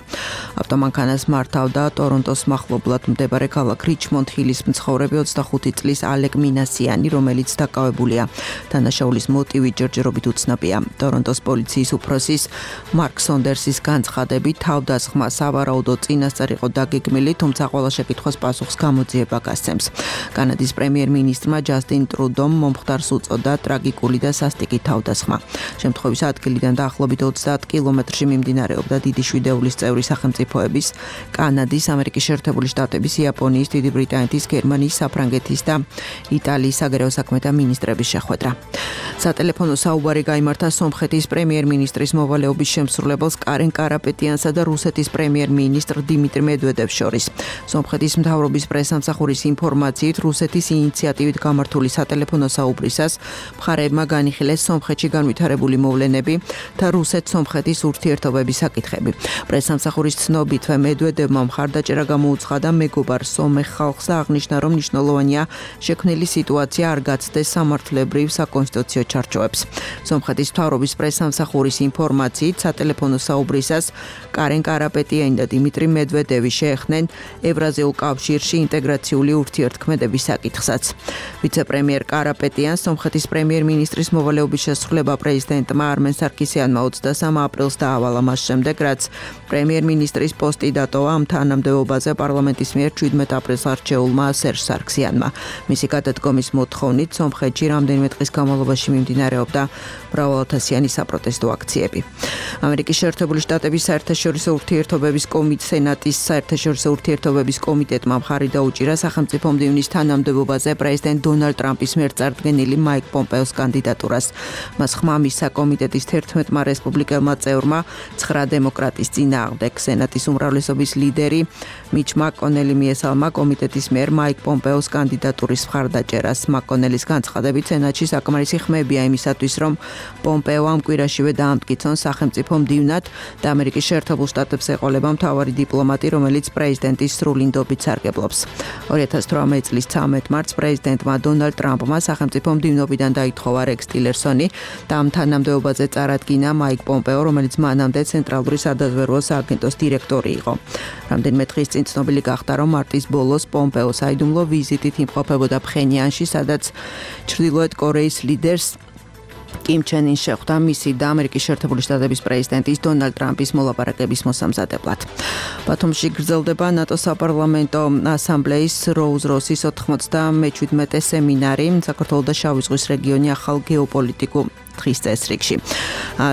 ავტომანქანას მართავდა ტორონტოს მახლობლად მდებარე ქალაქ რიჩმონდ ჰილის მცხოვრები 25 წლის ალეკ მინასიანი, რომელიც დაკავებულია. დანაშაულის მოტივი ჯერჯერობით უცნობია. ტორონტოს პოლიციის უფროსის მარკ სონდერსის განცხადებით თავდასხმა სავარაუდო წინასწარ იყო დაგეგმილი თუმცა ყველა შეკითხვას პასუხს გამოძიება გასცემს. კანადის პრემიერ-მინისტრმა ჯასტინ ტრუდომ მომხდარს უწოდა ტრაგიკული და სასტიკი თავდასხმა. შემთხვევის ადგილიდან დაახლოებით 30 კილომეტრში მიმდინარეობდა დიდი შვიდეულის წევრი სახელმწიფოების, კანადის, ამერიკის შეერთებული შტატების, იაპონიის, დიდი ბრიტანეთის, გერმანიის, საფრანგეთის და იტალიის საგარეო საქმეთა მინისტრების შეხვედრა. სატელეფონო საუბარი გაიმართა სომხეთის პრემიერ-მინისტრის მოვალეობის შემსრულებელს კარენ კარაპეტიანსა და რუსეთის პრემიერ-მინისტრ დიმიტრი მედვედევს შორის. სომხეთის მთავრობის პრესამსახურის ინფორმაციით რუსეთის ინიციატივით გამართული სატელეფონო საუბრისას მხარეებმა განიხილეს სომხეთში განვითარებული მოვლენები და რუსეთ-სომხეთის ურთიერთობების საკითხები. პრესამსახურის ცნობითვე მედვედევმა მხარდაჭერა გამოუცხადა მეგობარ სომეხ ხალხს და აღნიშნა, რომ მნიშვნელოვანია შექმნილი სიტუაცია არ გაცდეს სამართლებრივ საკონსტიტუციო ჩარჩოებს. სომხეთის მთავრობის პრესამსახურის ინფორმაციით სატელეფონო საუბრისას კარენ კარაპეტიანი და დიმიტრი მედვედევი შეეხნენ ევრაზიულ კავშირში ინტეგრაციული ურთიერთქმედების საკითხსაც. ვიცე-პრემიერ კარაპეტიანს სომხეთის პრემიერ-მინისტრის მოვალეობის შესრულება პრეზიდენტმა არმენ სარქისიანმა 23 აპრილს დაავალა მას შემდეგ, რაც პრემიერ-მინისტრის პოსტი დატოვა ამ თანამდებობაზე პარლამენტის მიერ 17 აპრილს არჩეულმა სერჟ სარქისიანმა. მისი გადადგომის მოთხოვნით სომხეთში რამდენიმე დღის განმავლობაში მიმდინარეობდა მრავალათასიანი საპროტესტო აქციები. ამერიკის შეერთებული შტატების საერთაშორისო ურთიერთობების სენატის საერთაშორისო ურთიერთობების კომიტეტმა მხარი დაუჭირა სახელმწიფო მდივნის თანამდებობაზე პრეზიდენტ დონალდ ტრამპის მიერ წარდგენილი მაიკ პომპეოს კანდიდატურას. მას ხმა მისცა კომიტეტის 11-მა რესპუბლიკელმა წევრმა 9 დემოკრატის წინააღმდეგ. სენატის უმრავლესობის ლიდერი მიჩ მაკონელი მიესალმა კომიტეტის მიერ მაიკ პომპეოს კანდიდატურის მხარდაჭერას. მაკონელის განცხადებით სენატში საკმარისი ხმებია იმისათვის, რომ პომპეო ამ კვირაშივე დაამტკიცონ სახელმწიფო მდივნად და ამერიკის შეერთებულ შტატებს ეყოლება მთავარი დიპლომატი, რომელიც პრეზიდენტის სრული ნდობით სარგებლობს. 2018 წლის 13 მარტს პრეზიდენტმა დონალდ ტრამპმა სახელმწიფო მდივნობიდან დაითხოვა რექს ტილერსონი და ამ თანამდებობაზე წარადგინა მაიკ პომპეო, რომელიც მანამდე ცენტრალური სადაზვერვო სააგენტოს დირექტორი იყო. რამდენიმე დღის წინ ცნობილი გახდა, რომ მარტის ბოლოს პომპეო საიდუმლო ვიზიტით იმყოფებოდა ფხენიანში, სადაც ჩრდილოეთ კორეის ლიდერს კიმ ჩენ ინს შეხვდა მისი და ამერიკის შეერთებული შტატების პრეზიდენტის დონალდ ტრამპის მოლაპარაკების მოსამზადებლად. ბათუმში გრძელდება ნატოს საპარლამენტო ასამბლეის როუზ-როსის 97 სემინარი საქართველოს და შავი ზღვის რეგიონი ახალ გეოპოლიტიკურ დღის წესრიგში.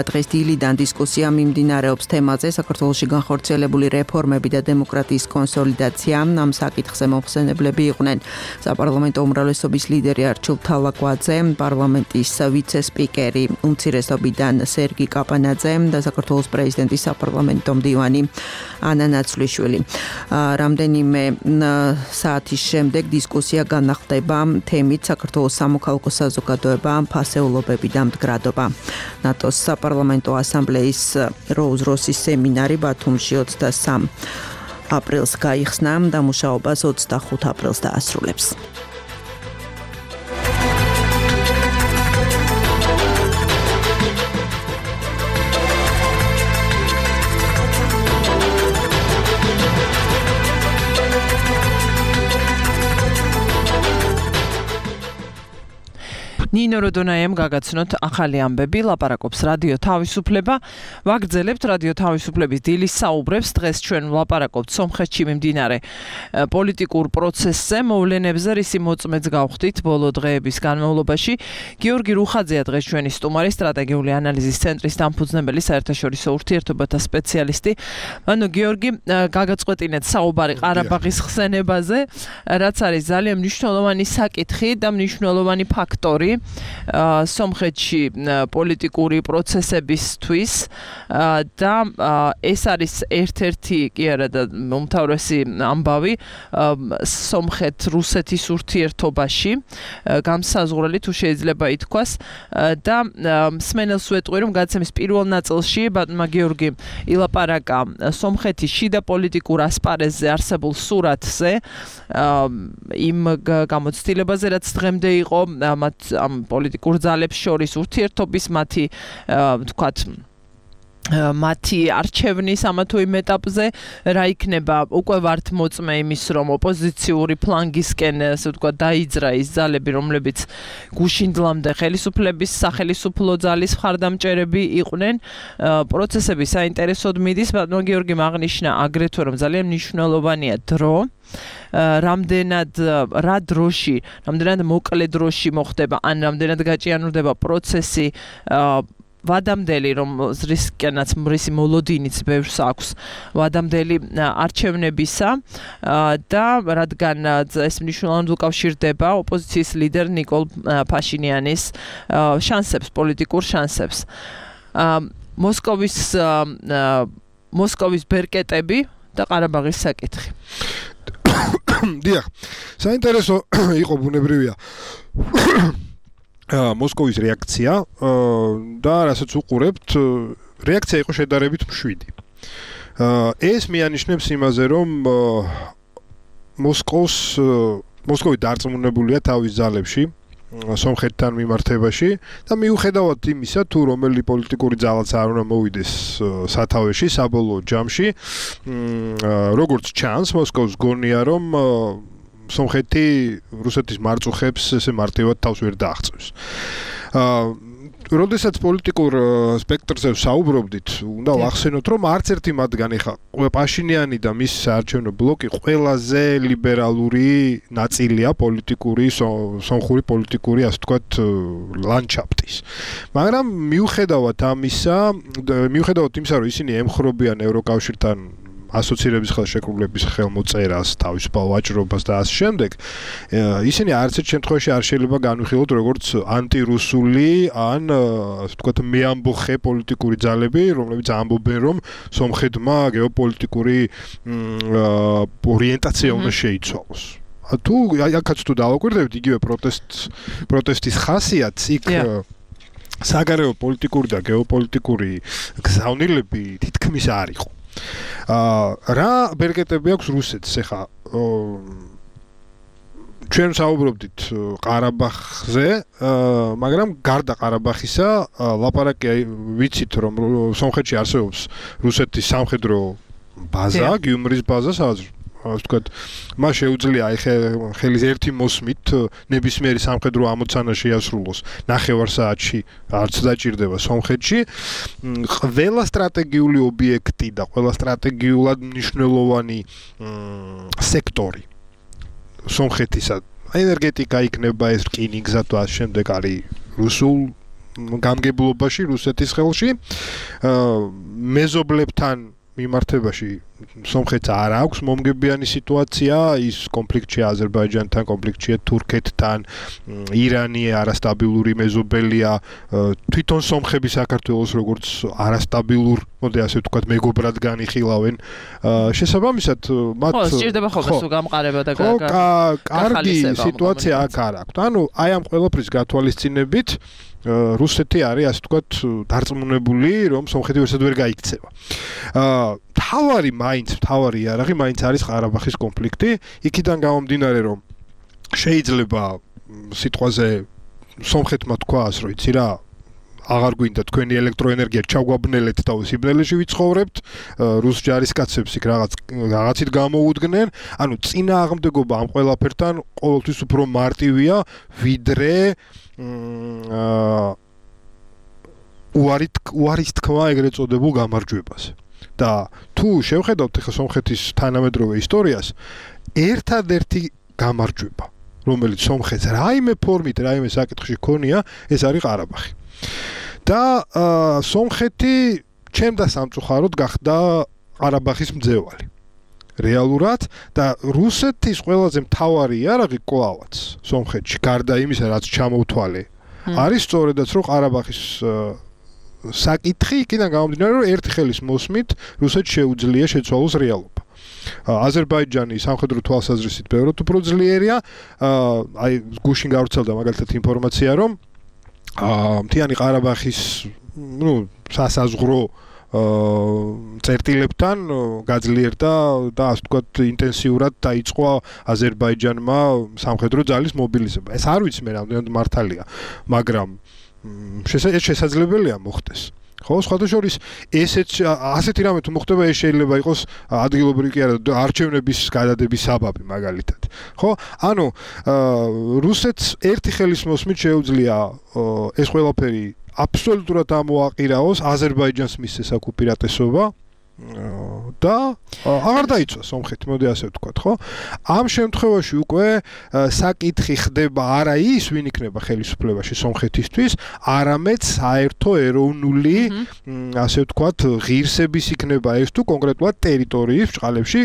დღეს დილიდან დისკუსია მიმდინარეობს თემაზე საქართველოში განხორციელებული რეფორმები და დემოკრატიის კონსოლიდაცია. ამ საკითხზე მომხსენებლები იყვნენ საპარლამენტო უმრავლესობის ლიდერი არჩილ თალაკვაძე, პარლამენტის ვიცე-სპიკერი უმცირესობიდან სერგი კაპანაძე და საქართველოს პრეზიდენტის საპარლამენტო მდივანი ანა ნაცვლიშვილი. რამდენიმე საათის შემდეგ დისკუსია განახლდება თემით საქართველოს სამოქალაქო საზოგადოება, ფასეულობები და მდგრადობა. ნატოს საპარლამენტო ასამბლეის როუზ-როსის სემინარი ბათუმში 23 აპრილს გაიხსნა და მუშაობას 25 აპრილს დაასრულებს. ნინო ნინო როდონაიამ გაგაცნოთ ახალი ამბები, ლაპარაკობს რადიო თავისუფლება. ვაგრძელებთ რადიო თავისუფლების დილის საუბრებს. დღეს ჩვენ ვლაპარაკობთ სომხეთში მიმდინარე პოლიტიკურ პროცესზე, მოვლენებზე, რისი მოწმეც გავხდით ბოლო დღეების განმავლობაში. გიორგი რუხაძეა დღეს ჩვენი სტუმარი, სტრატეგიული ანალიზის ცენტრის დამფუძნებელი, საერთაშორისო ურთიერთობათა სპეციალისტი. ანუ გიორგი, გაგაწყვეტინეთ საუბარი ყარაბაღის ხსენებაზე, რაც არის ძალიან მნიშვნელოვანი საკითხი და მნიშვნელოვანი ფაქტორი სომხეთში პოლიტიკური პროცესებისთვის და ეს არის ერთ-ერთი კი არა და უმთავრესი ამბავი სომხეთ-რუსეთის ურთიერთობაში განსაზღვრელი თუ შეიძლება ითქვას და მსმენელს ვეტყვი რომ გადაცემის პირველ ნაწილში ბატონმა გიორგი ილაპარაკა სომხეთის შიდა პოლიტიკურ ასპარეზზე არსებულ სურათზე იმ გამოცდილებაზე რაც დღემდე იყო ამ პოლიტიკურ ძალებს შორის ურთიერთობის მათი თქვათ მათი არჩევნის ამა თუ იმ ეტაპზე რა იქნება უკვე ვართ მოწმე იმის რომ ოპოზიციური ფლანგისკენ ასე ვთქვათ დაიძრა ის ძალები რომლებიც გუშინდლამდე ხელისუფლების სახელისუფლო ძალის მხარდამჭერები იყვნენ პროცესები საინტერესოდ მიდის ბატონ გიორგი აღნიშნა აგრეთვე რომ ძალიან მნიშვნელოვანია დრო რამდენად რა დროში რამდენად მოკლე დროში მოხდება ან რამდენად გაჭიანურდება პროცესი ვადამდელი რომ რისკენაც მრისი მოლოდინიც ბევრს აქვს ვადამდელი არჩევნებისა და რადგან ეს მნიშვნელოვნად უკავშირდება ოპოზიციის ლიდერ ნიკოლ ფაშინიანის შანსებს პოლიტიკურ შანსებს მოსკოვის ბერკეტები და ყარაბაღის საკითხი დიახ საინტერესო იყო ბუნებრივია მოსკოვის რეაქცია და რასაც უყურებთ რეაქცია იყო შედარებით მშვიდი. ეს მიანიშნებს იმაზე რომ მოსკოვი დარწმუნებულია თავის ძალებში სომხეთთან მიმართებაში და მიუხედავად იმისა თუ რომელი პოლიტიკური ძალაც არ უნდა მოვიდეს სათავეში საბოლოო ჯამში როგორც ჩანს მოსკოვს გონია რომ სომხეთი რუსეთის მარწუხებს ესე მარტივად თავს ვერ დააღწევს. როდესაც პოლიტიკურ სპექტრზე საუბრობდით, უნდა ვახსენოთ, რომ არც ერთი მათგანი ხა პაშინიანი და მის საარჩევნო ბლოკი ყველაზე ლიბერალური ნაწილია პოლიტიკური სომხური პოლიტიკური ასე ვთქვათ ლანდშაფტის. მაგრამ მიუხედავად ამისა რომ ისინი ემხრობიან ევროკავშირთან ასოცირების ხელშეკრულების ხელმოწერას, თავისუფალ ვაჭრობას და ასე შემდეგ, ისინი არც ერთ შემთხვევაში არ შეიძლება განვიხილოთ როგორც ანტირუსული ან ასე ვთქვათ მეამბოხე პოლიტიკური ძალები, რომლებიც ამბობენ რომ სომხეთმა გეოპოლიტიკური ორიენტაცია უნდა შეიცვალოს. თუ აქაც თუ დავაკვირდებით იგივე პროტესტის ხასიათს იქ საგარეო პოლიტიკური და გეოპოლიტიკური გზავნილები თითქმის არ იყო. რა ბერკეტები აქვს რუსეთს ეხა ჩვენ საუბრობდით ყარაბაღზე მაგრამ გარდა ყარაბაღისა ლაპარაკი ვიცით რომ სომხეთში არსებობს რუსეთის სამხედრო ბაზა გიუმრის ბაზა სადაც ასე ვთქვათ მას შეუძლია ხელის ერთი მოსმით ნებისმიერი სამხედრო ამოცანა შეასრულოს ნახევარ საათში არც დაჭირდება სომხეთში ყველა სტრატეგიული ობიექტი და ყველა სტრატეგიულად მნიშვნელოვანი სექტორი სომხეთისა ენერგეტიკა იქნება ეს რკინიგზა თუ ასე შემდეგ არის რუსულ გამგებლობაში რუსეთის ხელში მეზობლებთან მიმართებაში სომხეთს არ აქვს მომგებიანი სიტუაცია ის კონფლიქტია აზერბაიჯანთან კონფლიქტია თურქეთთან ირანი არასტაბილური მეზობელია თვითონ სომხები საქართველოს როგორც არასტაბილურ მოდი ასე ვთქვათ მეგობრად განიხილავენ შესაბამისად მათ ხო სჭირდება ხოლმე სულ გამყარება და კარგი სიტუაცია აქ არ აქვს ანუ აი ამ ყველაფრის გათვალისწინებით რუსეთი არის ასე ვთქვათ დარწმუნებული რომ სომხეთი ვერცად ვერ გაიქცევა. თავარი იარაღი მაინც არის ყარაბაღის კონფლიქტი. იქიდან გამომდინარე რომ შეიძლება სიტყვაზე სომხეთმა თქვას რომ იცი რა აღარ გვინდა თქვენი ელექტროენერგია ჩაგვაბნელეთ და სიბნელეში ვიცხოვრებთ, რუს ჯარისკაცებს იქ რაღაცით გამოუდგნენ, ანუ წინააღმდეგობა ამ ყველაფერთან ყოველთვის უფრო მარტივია, ვიდრე უარის თქმა ეგრეთ წოდებულ გამარჯვებაზე. და თუ შევხედავთ ახლა სომხეთის თანამედროვე ისტორიას, ერთადერთი გამარჯვება, რომელიც სომხეთს რაიმე ფორმით, რაიმე საკითხში ქონია, ეს არის ყარაბაღი. და სომხეთი ჩემდა სამწუხაროდ გახდა ყარაბაღის მძევალი. რეალურად და რუსეთის ყველაზე მთავარი იარაღი კლავაც სომხეთში, გარდა იმისა, რაც ჩამოვთვალე, არის სწორედაც რომ ყარაბაღის საკითხი იქიდან გამომდინარე, რომ ერთი ხელის მოსმით რუსეთს შეუძლია შეცვალოს რეალობა. აზერბაიჯანი სამხედრო თვალსაზრისით ბევრად უფრო ძლიერია, აი გუშინ გავრცელდა მაგალითად ინფორმაცია, რომ მთიანი ყარაბაღის, სასაზღვრო წერტილებთან გაძლიერდა და ასე ვთქვათ ინტენსიურად დაიწყო აზერბაიჯანმა სამხედრო ძალის მობილიზება. ეს არ ვიცი მე რამდენად მართალია, მაგრამ შესაძლებელია მოხდეს. ხო, სხვათა შორის ასეთი რამე თუ მოხდება, ეს შეიძლება იყოს ადგილობრივი კი არა, არჩევნების გადადების საბაბი მაგალითად. ხო? ანუ რუსეთს ერთი ხელის მოსმით შეუძლია ეს ყველაფერი აბსოლუტურად ამოაყირაოს, აზერბაიჯანს მისცეს აქ უპირატესობა და აღარ დაიცვა სომხეთი, მოდი ასე ვთქვათ, ხო? ამ შემთხვევაში უკვე საკითხი ხდება არა ის, ვინ იქნება ხელისუფლებაში სომხეთისთვის, არამედ საერთო ეროვნული, ასე ვთქვათ, ღირსების იქნება ეს თუ კონკრეტულად ტერიტორიის ბრჭყალებში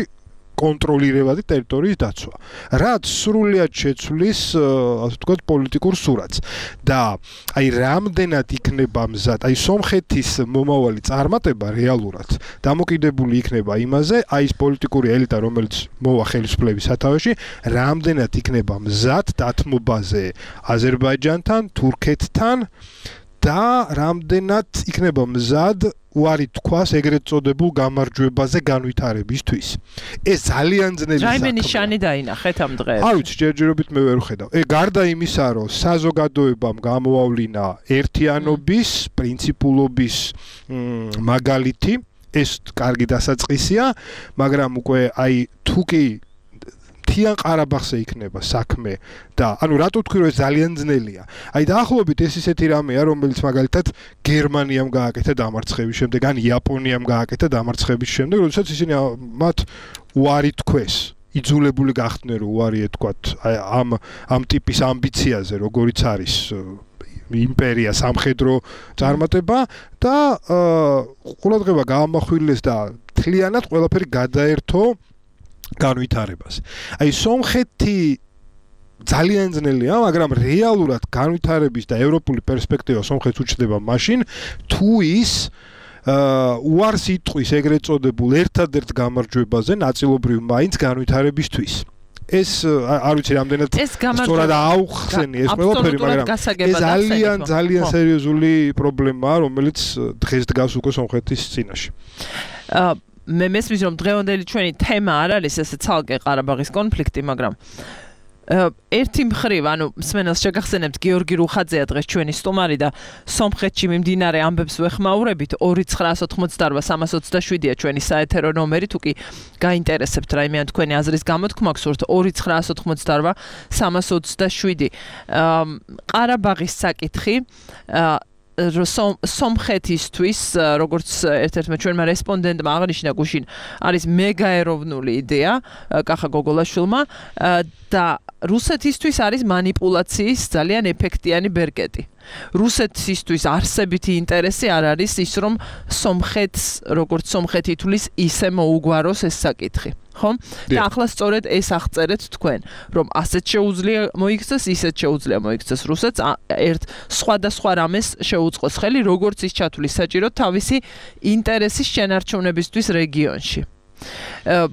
კონტროლირებადი ტერიტორიის დაცვა. რაც სრულიად შეცვლის, ასე ვთქვათ, პოლიტიკურ სურათს. და აი რამდენად იქნება მზად, აი სომხეთის მომავალი წარმატება რეალურად დამოკიდებული იქნება იმაზე, აი ეს პოლიტიკური ელიტა, რომელიც მოვა ხელისუფლების სათავეში, რამდენად იქნება მზად დათმობაზე აზერბაიჯანთან, თურქეთთან და რამდენად იქნება მზად უარი თქვას ეგრეთ წოდებულ გამარჯვებაზე განვითარებისთვის. ეს ძალიან ძნელი საქმეა. რაიმე ნიშანი დაინახეთ ამ დღეს? არ ვიცი, ჯერჯერობით მე ვერ ვხედავ. გარდა იმისა, რომ საზოგადოებამ გამოავლინა ერთიანობის, პრინციპულობის მაგალითი, ეს კარგი დასაწყისია, მაგრამ უკვე აი თუ კი მთიან ყარაბაღზე იქნება საქმე და ანუ რატო თქვი რომ ეს ძალიან ძნელია. აი დაახლოებით ეს ისეთი რამეა, რომელიც მაგალითად გერმანიამ გააკეთა დამარცხების შემდეგ, ან იაპონიამ გააკეთა დამარცხების შემდეგ, როდესაც ისინი მათ უარი თქვეს. იძულებული გახდნენ რომ უარი ეთქვათ ამ ტიპის ამბიციაზე, როგორიც არის იმპერია, სამხედრო წარმატება და ყურადღება გაამახვილეს და თლიანად ყველაფერი გადაერთო განვითარებას. აი სომხეთი ძალიან ძნელია, მაგრამ რეალურად განვითარების და ევროპული პერსპექტივა სომხეთს უჩნდება მაშინ, თუ ის უარს იტყვის ეგრეთ წოდებულ ერთადერთ გამარჯვებაზე ნაწილობრივ მაინც განვითარებისთვის. ეს არ ვიცი რამდენად სწორად აუხსენი ეს ყველაფერი, მაგრამ ეს ძალიან სერიოზული პრობლემაა, რომელიც დღეს დგას უკვე სომხეთის წინაშე. მე მესმის რომ დღევანდელი ჩვენი თემა არ არის ესე ცალკე ყარაბაღის კონფლიქტი, მაგრამ ერთი მხრივ, ანუ მსმენელს შეგახსენებთ, გიორგი რუხაძეა დღეს ჩვენი სტუმარი და სომხეთში მიმდინარე ამბებს ვეხმაურებით. 2988327-ია ჩვენი საეთერო ნომერი, თუ კი გაინტერესებთ რაიმე ან თქვენი აზრის გამოთქმა გსურთ, 2988327. ყარაბაღის საკითხი სომხეთისთვის, როგორც ერთ-ერთმა ჩვენმა რესპონდენტმა აღნიშნა გუშინ, არის მეგაეროვნული იდეა კახა გოგოლაშვილმა და რუსეთისთვის არის манипуляციის ძალიან ეფექტიანი ბერკეტი. რუსეთისთვის არსებითი ინტერესი არ არის ის, რომ სომხეთს, როგორც სომხეთი თulis, ისე მოუგვაროს ეს საკითხი. ხო? და ახლა სწორედ ეს აღწერეთ თქვენ, რომ ასეთ შეუძლია მოიქცეს, ისეთ შეუძლია მოიქცეს რუსეთს, ერთ სხვადასხვა რამეს შეუწყოს ხელი, როგორც ის ჩათვლის საჭირო თავისი ინტერესის შენარჩუნებისთვის რეგიონში.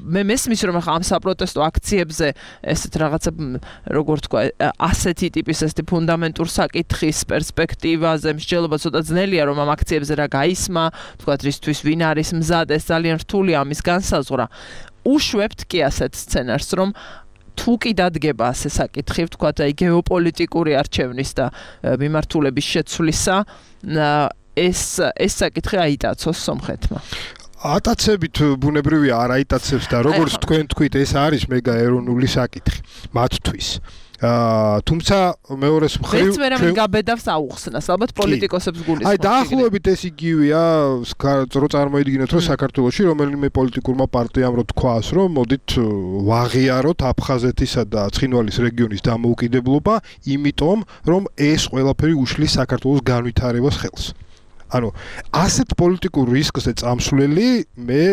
მე მესმის რომ ახლა ამ საპროტესტო აქციებზე ესეთ რაღაცა როგორ თქვა ასეთი ტიპის ესეთი ფუნდამენტურ საკითხის პერსპექტივაზე მსჯელობა ცოტა ძნელია რომ ამ აქციებზე რა გაისმა, თქვა რისთვის ვინ არის მზად, ეს ძალიან რთულია ამის განსაზღვრა. უშვებთ კი ასეთ სცენარს, რომ თუ კი დადგება ასე საკითხი, ვთქვათ, აი გეოპოლიტიკური არჩევნის და მიმართულების შეცვლისა, ეს საკითხი აიტაცოს სომხეთმა. ატაცებით ბუნებრივია არ აიტაცებს და როგორც თქვენ თქვით, ეს არის მეგა ეროვნული საკითხი მათთვის. თუმცა მეორეს მხრივ ეს ვერავინ გაბედავს აუხსნას, ალბათ პოლიტიკოსებს გულისხმობს. აი დაახლოებით ეს იგივეა, რო წარმოიდგინოთ, რომ საქართველოში რომელიმე პოლიტიკურმა პარტიამ რო თქვას, რომ მოდით ვაღიაროთ აფხაზეთისა და ცხინვალის რეგიონის დამოუკიდებლობა, იმიტომ რომ ეს ყველაფერი უშლის საქართველოს განვითარებას ხელს. ანუ ასეთ პოლიტიკურ რისკზე წამსვლელი მე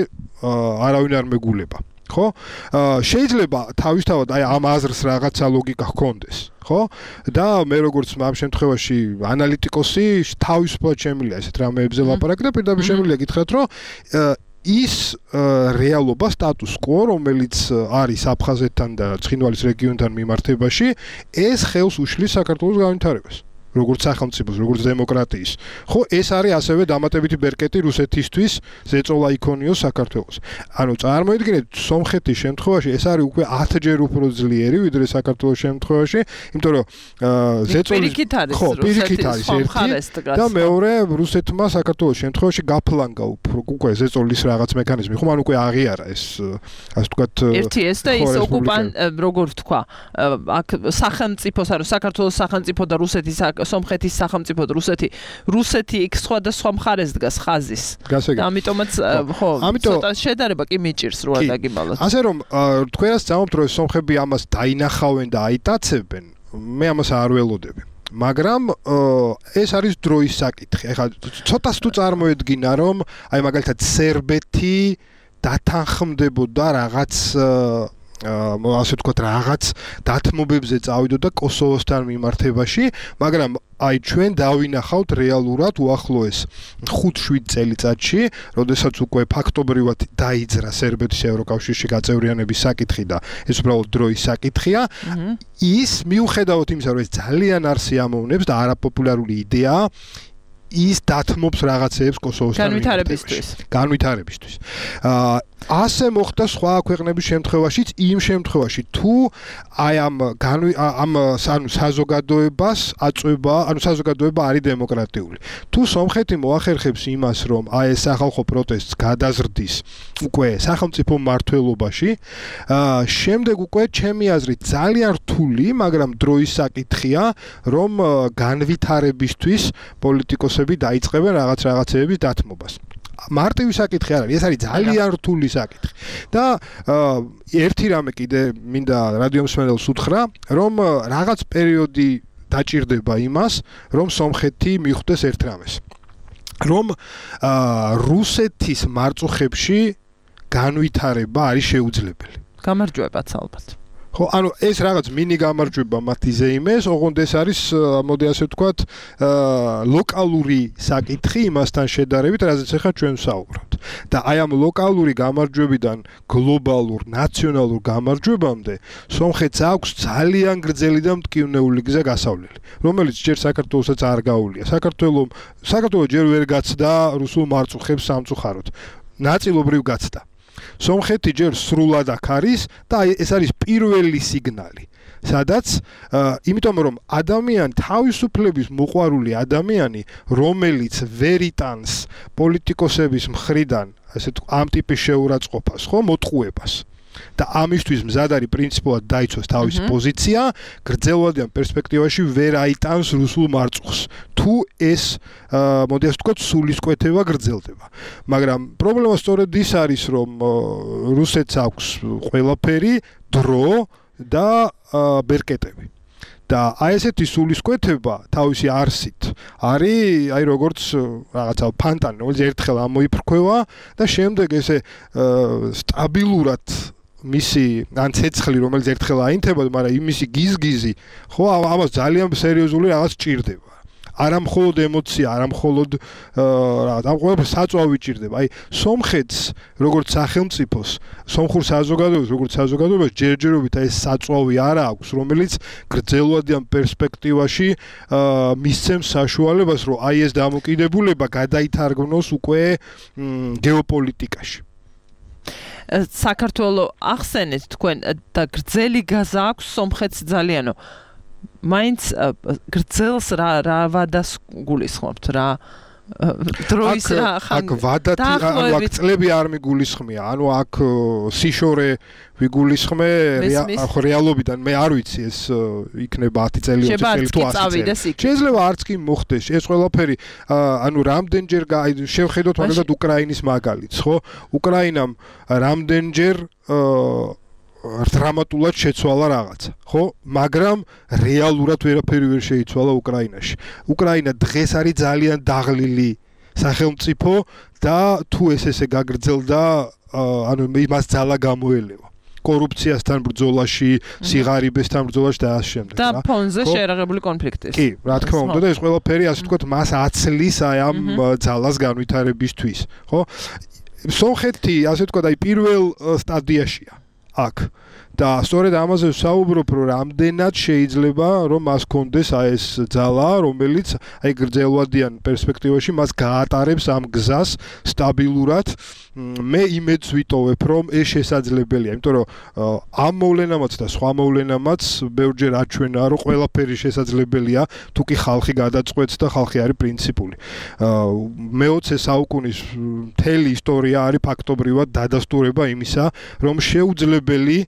არავინ არ მეგულება. ხო? შეიძლება თავისთავად აი ამ აზრს რაღაცა ლოგიკა ჰქონდეს, ხო? და მე როგორც ამ შემთხვევაში ანალიტიკოსი თავისუფლად შემიძლია ესეთ რამეებზე ლაპარაკი და პირდაპირ შემიძლია გითხრათ, რომ ის რეალობა სტატუს quo, რომელიც არის აფხაზეთთან და ცხინვალის რეგიონთან მიმართებაში, ეს ხელს უშლის საქართველოს განვითარებას. როგორც სახელმწიფოს, როგორც დემოკრატიის. ხო, ეს არის ასევე დამატებითი ბერკეტი რუსეთისთვის, ზეწოლა იქონიოს საქართველოს. ანუ წარმოიდგინეთ, სომხეთის შემთხვევაში ეს არის უკვე 10-ჯერ უფრო ძლიერი, ვიდრე საქართველოს შემთხვევაში, იმიტომ რომ ზეწოლის ხო, პირიქით არის ერთი და მეორე რუსეთმა საქართველოს შემთხვევაში გაფლანგა უკვე ზეწოლის რაღაც მექანიზმი. ხომ ან უკვე აღიარა ეს ასე ვთქვათ ერთი ეს და ის როგორ ვთქვა, აქ სახელმწიფოს, ანუ საქართველოს სახელმწიფო და რუსეთის სომხეთის სახელმწიფო და რუსეთი იქ სხვადასხვა მხარეს დგას ხაზის. და ამიტომაც ხო, ცოტა შედარება კი მიჭირს რო ადაგიბალოთ. ასე რომ თქვენას წამობთ რომ სომხები ამას დაინახავენ და აიტაცებენ, მე ამას არ ველოდები. მაგრამ ეს არის დროის საკითხი. ეხლა ცოტას თუ წარმოედგინა რომ აი მაგალითად სერბეთი დათანხმდებოდა რაღაც ასე ვთქვათ რაღაც დათმობებზე წავიდოდა კოსოვოსთან მიმართებაში, მაგრამ აი ჩვენ დავინახავთ რეალურად უახლოეს 5-7 წელიწადში, როდესაც უკვე ფაქტობრივად დაიძრა სერბეთის ევროკავშირში გაწევრიანების საკითხი და ეს უბრალოდ დროის საკითხია. ის მიუხედავად იმისა, რომ ეს ძალიან არ სიამოვნებს და არაპოპულარული იდეაა, ის დათმობს რაღაცეებს კოსოვოსთან განვითარებისთვის. ასე მოხდა სხვა ქვეყნების შემთხვევაშიც, იმ შემთხვევაში თუ აი ამ საზოგადოებას აწვება, ანუ საზოგადოება არის დემოკრატიული. თუ სომხეთი მოახერხებს იმას, რომ აი ეს სახალხო პროტესტს გადაზრდის უკვე სახელმწიფო მმართველობაში, შემდეგ უკვე ჩემი აზრით ძალიან რთული, მაგრამ დროის საკითხია, რომ განვითარებისთვის პოლიტიკოსები დაიწყებენ რაღაცეების დათმობას. მარტივი საკითხი არ არის, ეს არის ძალიან რთული საკითხი. და ერთი რამე კიდე მინდა რადიომსმენელს უთხრა, რომ რაღაც პერიოდი დაჭირდება იმას, რომ სომხეთი მიხვდეს ერთ რამეს. რომ რუსეთის მარწუხებში განვითარება არის შეუძლებელი. გამარჯვებაც ალბათ. ხო, ანუ ეს რაღაც მინი გამარჯვება მათ იზეიმეს, ოღონდ ეს არის, მოდი ასე ვთქვათ, ლოკალური საკითხი იმასთან შედარებით, რაზეც ახლა ჩვენ ვსაუბრობთ. და აი ამ ლოკალური გამარჯვებიდან გლობალურ, ნაციონალურ გამარჯვებამდე სომხეთს აქვს ძალიან გრძელი და მტკივნეული გზა გასავლელი, რომელიც ჯერ საქართველოსაც არ გაუვლია. საქართველო ჯერ ვერ გაცდა რუსულ მარწუხებს სამწუხაროდ. ნაწილობრივ გაცდა. სომხეთი ჯერ სრულად აქ არის და ეს არის პირველი სიგნალი, სადაც იმიტომ რომ ადამიანი თავისუფლების მოყვარული ადამიანი, რომელიც ვერ იტანს პოლიტიკოსების მხრიდან ასე ამ ტიპის შეურაცხყოფას, ხო, მოტყუებას და ამისთვის მზად არის პრინციპულად დაიცვას თავისი პოზიცია, გრძელვადიან პერსპექტივაში ვერ აიტანს რუსულ მარწუხს. თუ ეს მოდი ასე ვთქვათ, სულისკვეთება გრძელდება. მაგრამ პრობლემა სწორედ ის არის, რომ რუსეთს აქვს ყველაფერი, დრო და ბერკეტები. და აი ესეთი სულისკვეთება თავისი არსით არის აი როგორც რაღაცა ფანტანი, რომელიც ერთხელ ამოიფრქვევა და შემდეგ ესე სტაბილურად მისი ან ცეცხლი, რომელიც ერთხელ აინთებოდა, მაგრამ იმისი გიზგიზი, ხო, ამას ძალიან სერიოზული რაღაც ჭირდება. არა მხოლოდ ემოცია, არა მხოლოდ რაღაც, ამ ყველაფერს საწვავი ჭირდება. აი, სომხეთს, როგორც სახელმწიფოს, სომხურ საზოგადოებას, როგორც საზოგადოებას, ჯერჯერობით ეს საწვავი არა აქვს, რომელიც გრძელვადიან პერსპექტივაში მისცემს საშუალებას, რომ აი ეს დამოკიდებულება გადაითარგმნოს უკვე გეოპოლიტიკაში. საქართველოს ახსენეთ თქვენ და გრძელი გაზა აქვს სომხეთს ძალიანო. მაინც გრძელს რა ვადას გულისხმობთ რა დროის რა აქ ვადათი ანუ აქ წლები არ მიგულისხმია ანუ აქ სიშორე ვიგულისხმე რეალობიდან მე არ ვიცი ეს იქნება 10 წელი 20 წელი თუ 100 წელი შეიძლება არც კი მოხდეს ეს ყველაფერი ანუ რამდენჯერ შევხედოთ მაგალითად უკრაინის მაგალითს ხო უკრაინამ რამდენჯერ დრამატულად შეცვალა რაღაცა, ხო? მაგრამ რეალურად ვერაფერი ვერ შეიცვალა უკრაინაში. უკრაინა დღეს არის ძალიან დაღლილი სახელმწიფო და თუ ესე გაგრძელდა, ანუ მას ძალა გამოელევა. კორუფციასთან ბრძოლაში, სიღარიბესთან ბრძოლაში და ასე შემდეგ. და ფონზე შეერაღებული კონფლიქტის. კი, რა თქმა უნდა და ეს ყველაფერი ასე ვთქვათ, მას აცლის აი ამ ძალას განვითარებისთვის, ხო? სომხეთი, ასე ვთქვათ, აი პირველ სტადიაშია. აქ და სწორედ ამაზე ვსაუბრობ რომ რამდენად შეიძლება რომ მას კონდეს აი ეს ძალა რომელიც აი გრძელვადიან პერსპექტივაში მას გაატარებს ამ გზას სტაბილურად მე იმედს ვიტოვებ რომ ეს შესაძლებელია იმიტომ რომ ამ მოვლენამაც და სხვა მოვლენამაც ბევრჯერ აჩვენა რომ ყველაფერი შესაძლებელია თუ კი ხალხი გადაწყვეტს და ხალხი არის პრინციპული მე-20 საუკუნის მთელი ისტორია არის ფაქტობრივად დადასტურება იმისა რომ შეუძლებელი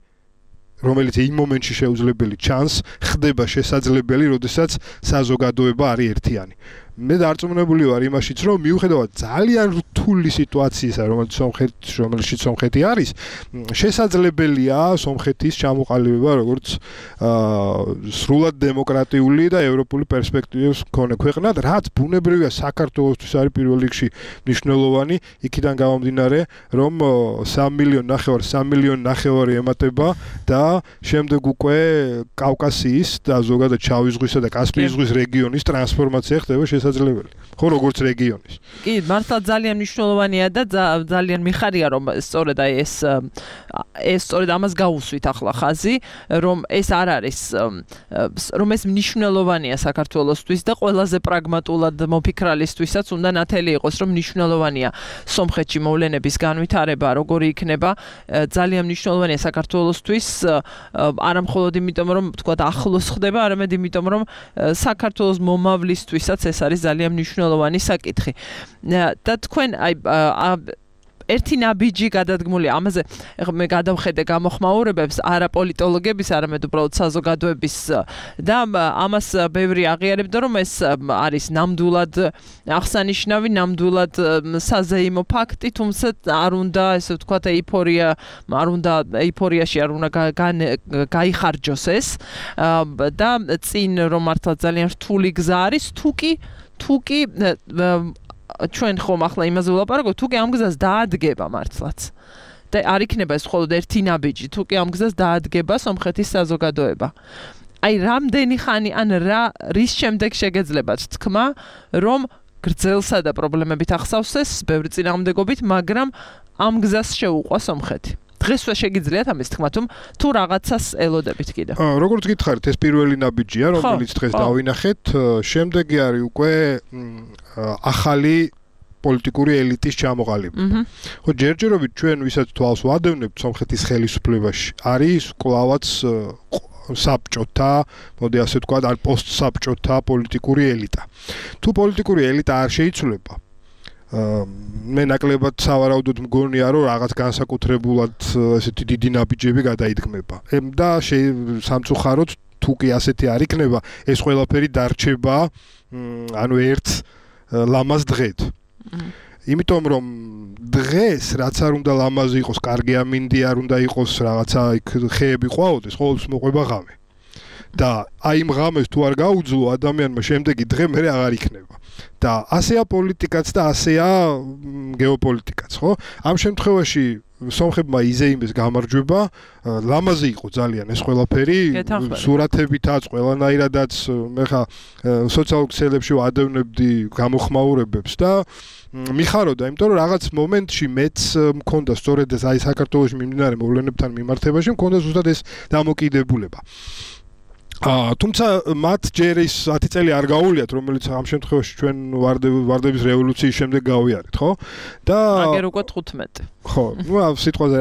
რომელიც იმ მომენტში შეუძლებელი ჩანს ხდება შესაძლებელი როდესაც საზოგადოება არის ერთიანი მე დარწმუნებული ვარ იმაშიც რომ მიუხედავად ძალიან რთული სიტუაციისა რომელშიც სომხეთი არის შესაძლებელია სომხეთის ჩამოყალიბება როგორც სრულად დემოკრატიული და ევროპული პერსპექტივების მქონე ქვეყნად რაც ბუნებრივია საქართველოსთვის არის პირველ რიგში მნიშვნელოვანი იქიდან გამომდინარე რომ 3 მილიონი ნახევარი ემატება და შემდეგ უკვე კავკასიის და ზოგადად შავი ზღვისა და კასპიის ზღვის რეგიონის ტრანსფორმაცია ხდება შესაძლებელი. ხო, როგორც რეგიონის. კი, მართლა ძალიან მნიშვნელოვანია და ძალიან მიხარია რომ სწორედ აი ეს სწორედ ამას გაუსვით ახლა ხაზი, რომ ეს არ არის რომ ეს მნიშვნელოვანია საქართველოსთვის და ყველაზე პრაგმატულად მოფიქრალისთვისაც უნდა ნათელი იყოს, რომ მნიშვნელოვანია სომხეთში მოვლენების განვითარება, როგორი იქნება, ძალიან მნიშვნელოვანია საქართველოსთვის, არა მხოლოდ იმიტომ რომ თქვა ახლოს ხდება, არამედ იმიტომ რომ საქართველოს მომავლისთვისაც ეს არის ძალიან მნიშვნელოვანი საკითხი. და თქვენ აი ერთი ნაბიჯი გადადგმული ამაზე მე გადავხედე გამოხმაურებებს არა პოლიტოლოგების არამედ უბრალოდ საზოგადოების და ამას ბევრი აღიარებდა რომ ეს არის ნამდვილად აღსანიშნავი ნამდვილად საზეიმო ფაქტი თუმცა არ უნდა ესე ვთქვათ ეიფორიაში არ უნდა გაიხარჯოს ეს და წინ რომ მართლა ძალიან რთული გზა არის თუკი ჩვენ ხომ ახლა იმაზე ვლაპარაკობთ, თუ კი ამ გზას დაადგება მართლაც. და არ იქნება ეს მხოლოდ ერთი ნაბიჯი, თუ კი ამ გზას დაადგება სომხეთის საზოგადოება. აი რამდენი ხანი ან რის შემდეგ შეგეძლებათ თქმა, რომ გრძელსა და პრობლემებით ახსავსეს, ბევრი წინააღმდეგობით, მაგრამ ამ გზას შეუყვა სომხეთი. დღესვე შეგიძლიათ ამის თქმა, თუ რაღაცას ელოდებით კიდე. როგორც გითხარით, ეს პირველი ნაბიჯია, რომელიც დღეს დავინახეთ, შემდეგი არის უკვე ახალი პოლიტიკური ელიტის ჩამოყალიბება. ხო, ჯერჯერობით ჩვენ ვისაც თვალს ვადევნებთ სომხეთის ხელისუფლებაში, არის კლავაც საბჭოთა, მოდი ასე ვთქვათ, ან პოსტსაბჭოთა პოლიტიკური ელიტა. თუ პოლიტიკური ელიტა არ შეიცვლება მე ნაკლებად სავარაუდოდ მგონია რომ რაღაც განსაკუთრებულად ესეთი დიდი ნაბიჯები გადაიდგმება. და სამწუხაროდ თუ კი ასეთი არ იქნება, ეს ყველაფერი დარჩება ანუ ერთ ლამაზ დღედ. იმიტომ რომ დღეს რაც არ უნდა ლამაზი იყოს, კარგი ამინდი არ უნდა იყოს, რაღაცა იქ ხეები ყვაოდეს, ყოველთვის მოყვება ღამე. და აი იმ ღამეს თუ არ გაუძლო ადამიანმა შემდეგი დღე მე აღარ იქნება. და ასეა პოლიტიკაც და ასეა გეოპოლიტიკაც, ხო? ამ შემთხვევაში სომხებმა იზეიმეს გამარჯვება, ლამაზი იყო ძალიან ეს ყველაფერი, სურათებითაც, ყველანაირადაც მე ხა სოციალურ ქსელებში ვადევნებდი გამოხმაურებებს და მიხაროდა, იმიტომ რომ რაღაც მომენტში მეც მქონდა სწორედ ეს აი საქართველოში მიმდინარე მოვლენებთან მიმართებაში მქონდა ზუსტად ეს დამოკიდებულება. თუმცა მათ ჯერ ის 10 წელი არ გაუვლიათ, რომელიც ამ შემთხვევაში ჩვენ ვარდების რევოლუციის შემდეგ გავიარეთ, ხო? და აგერ უკვე 15. ხო, ნუ სიტყვაზე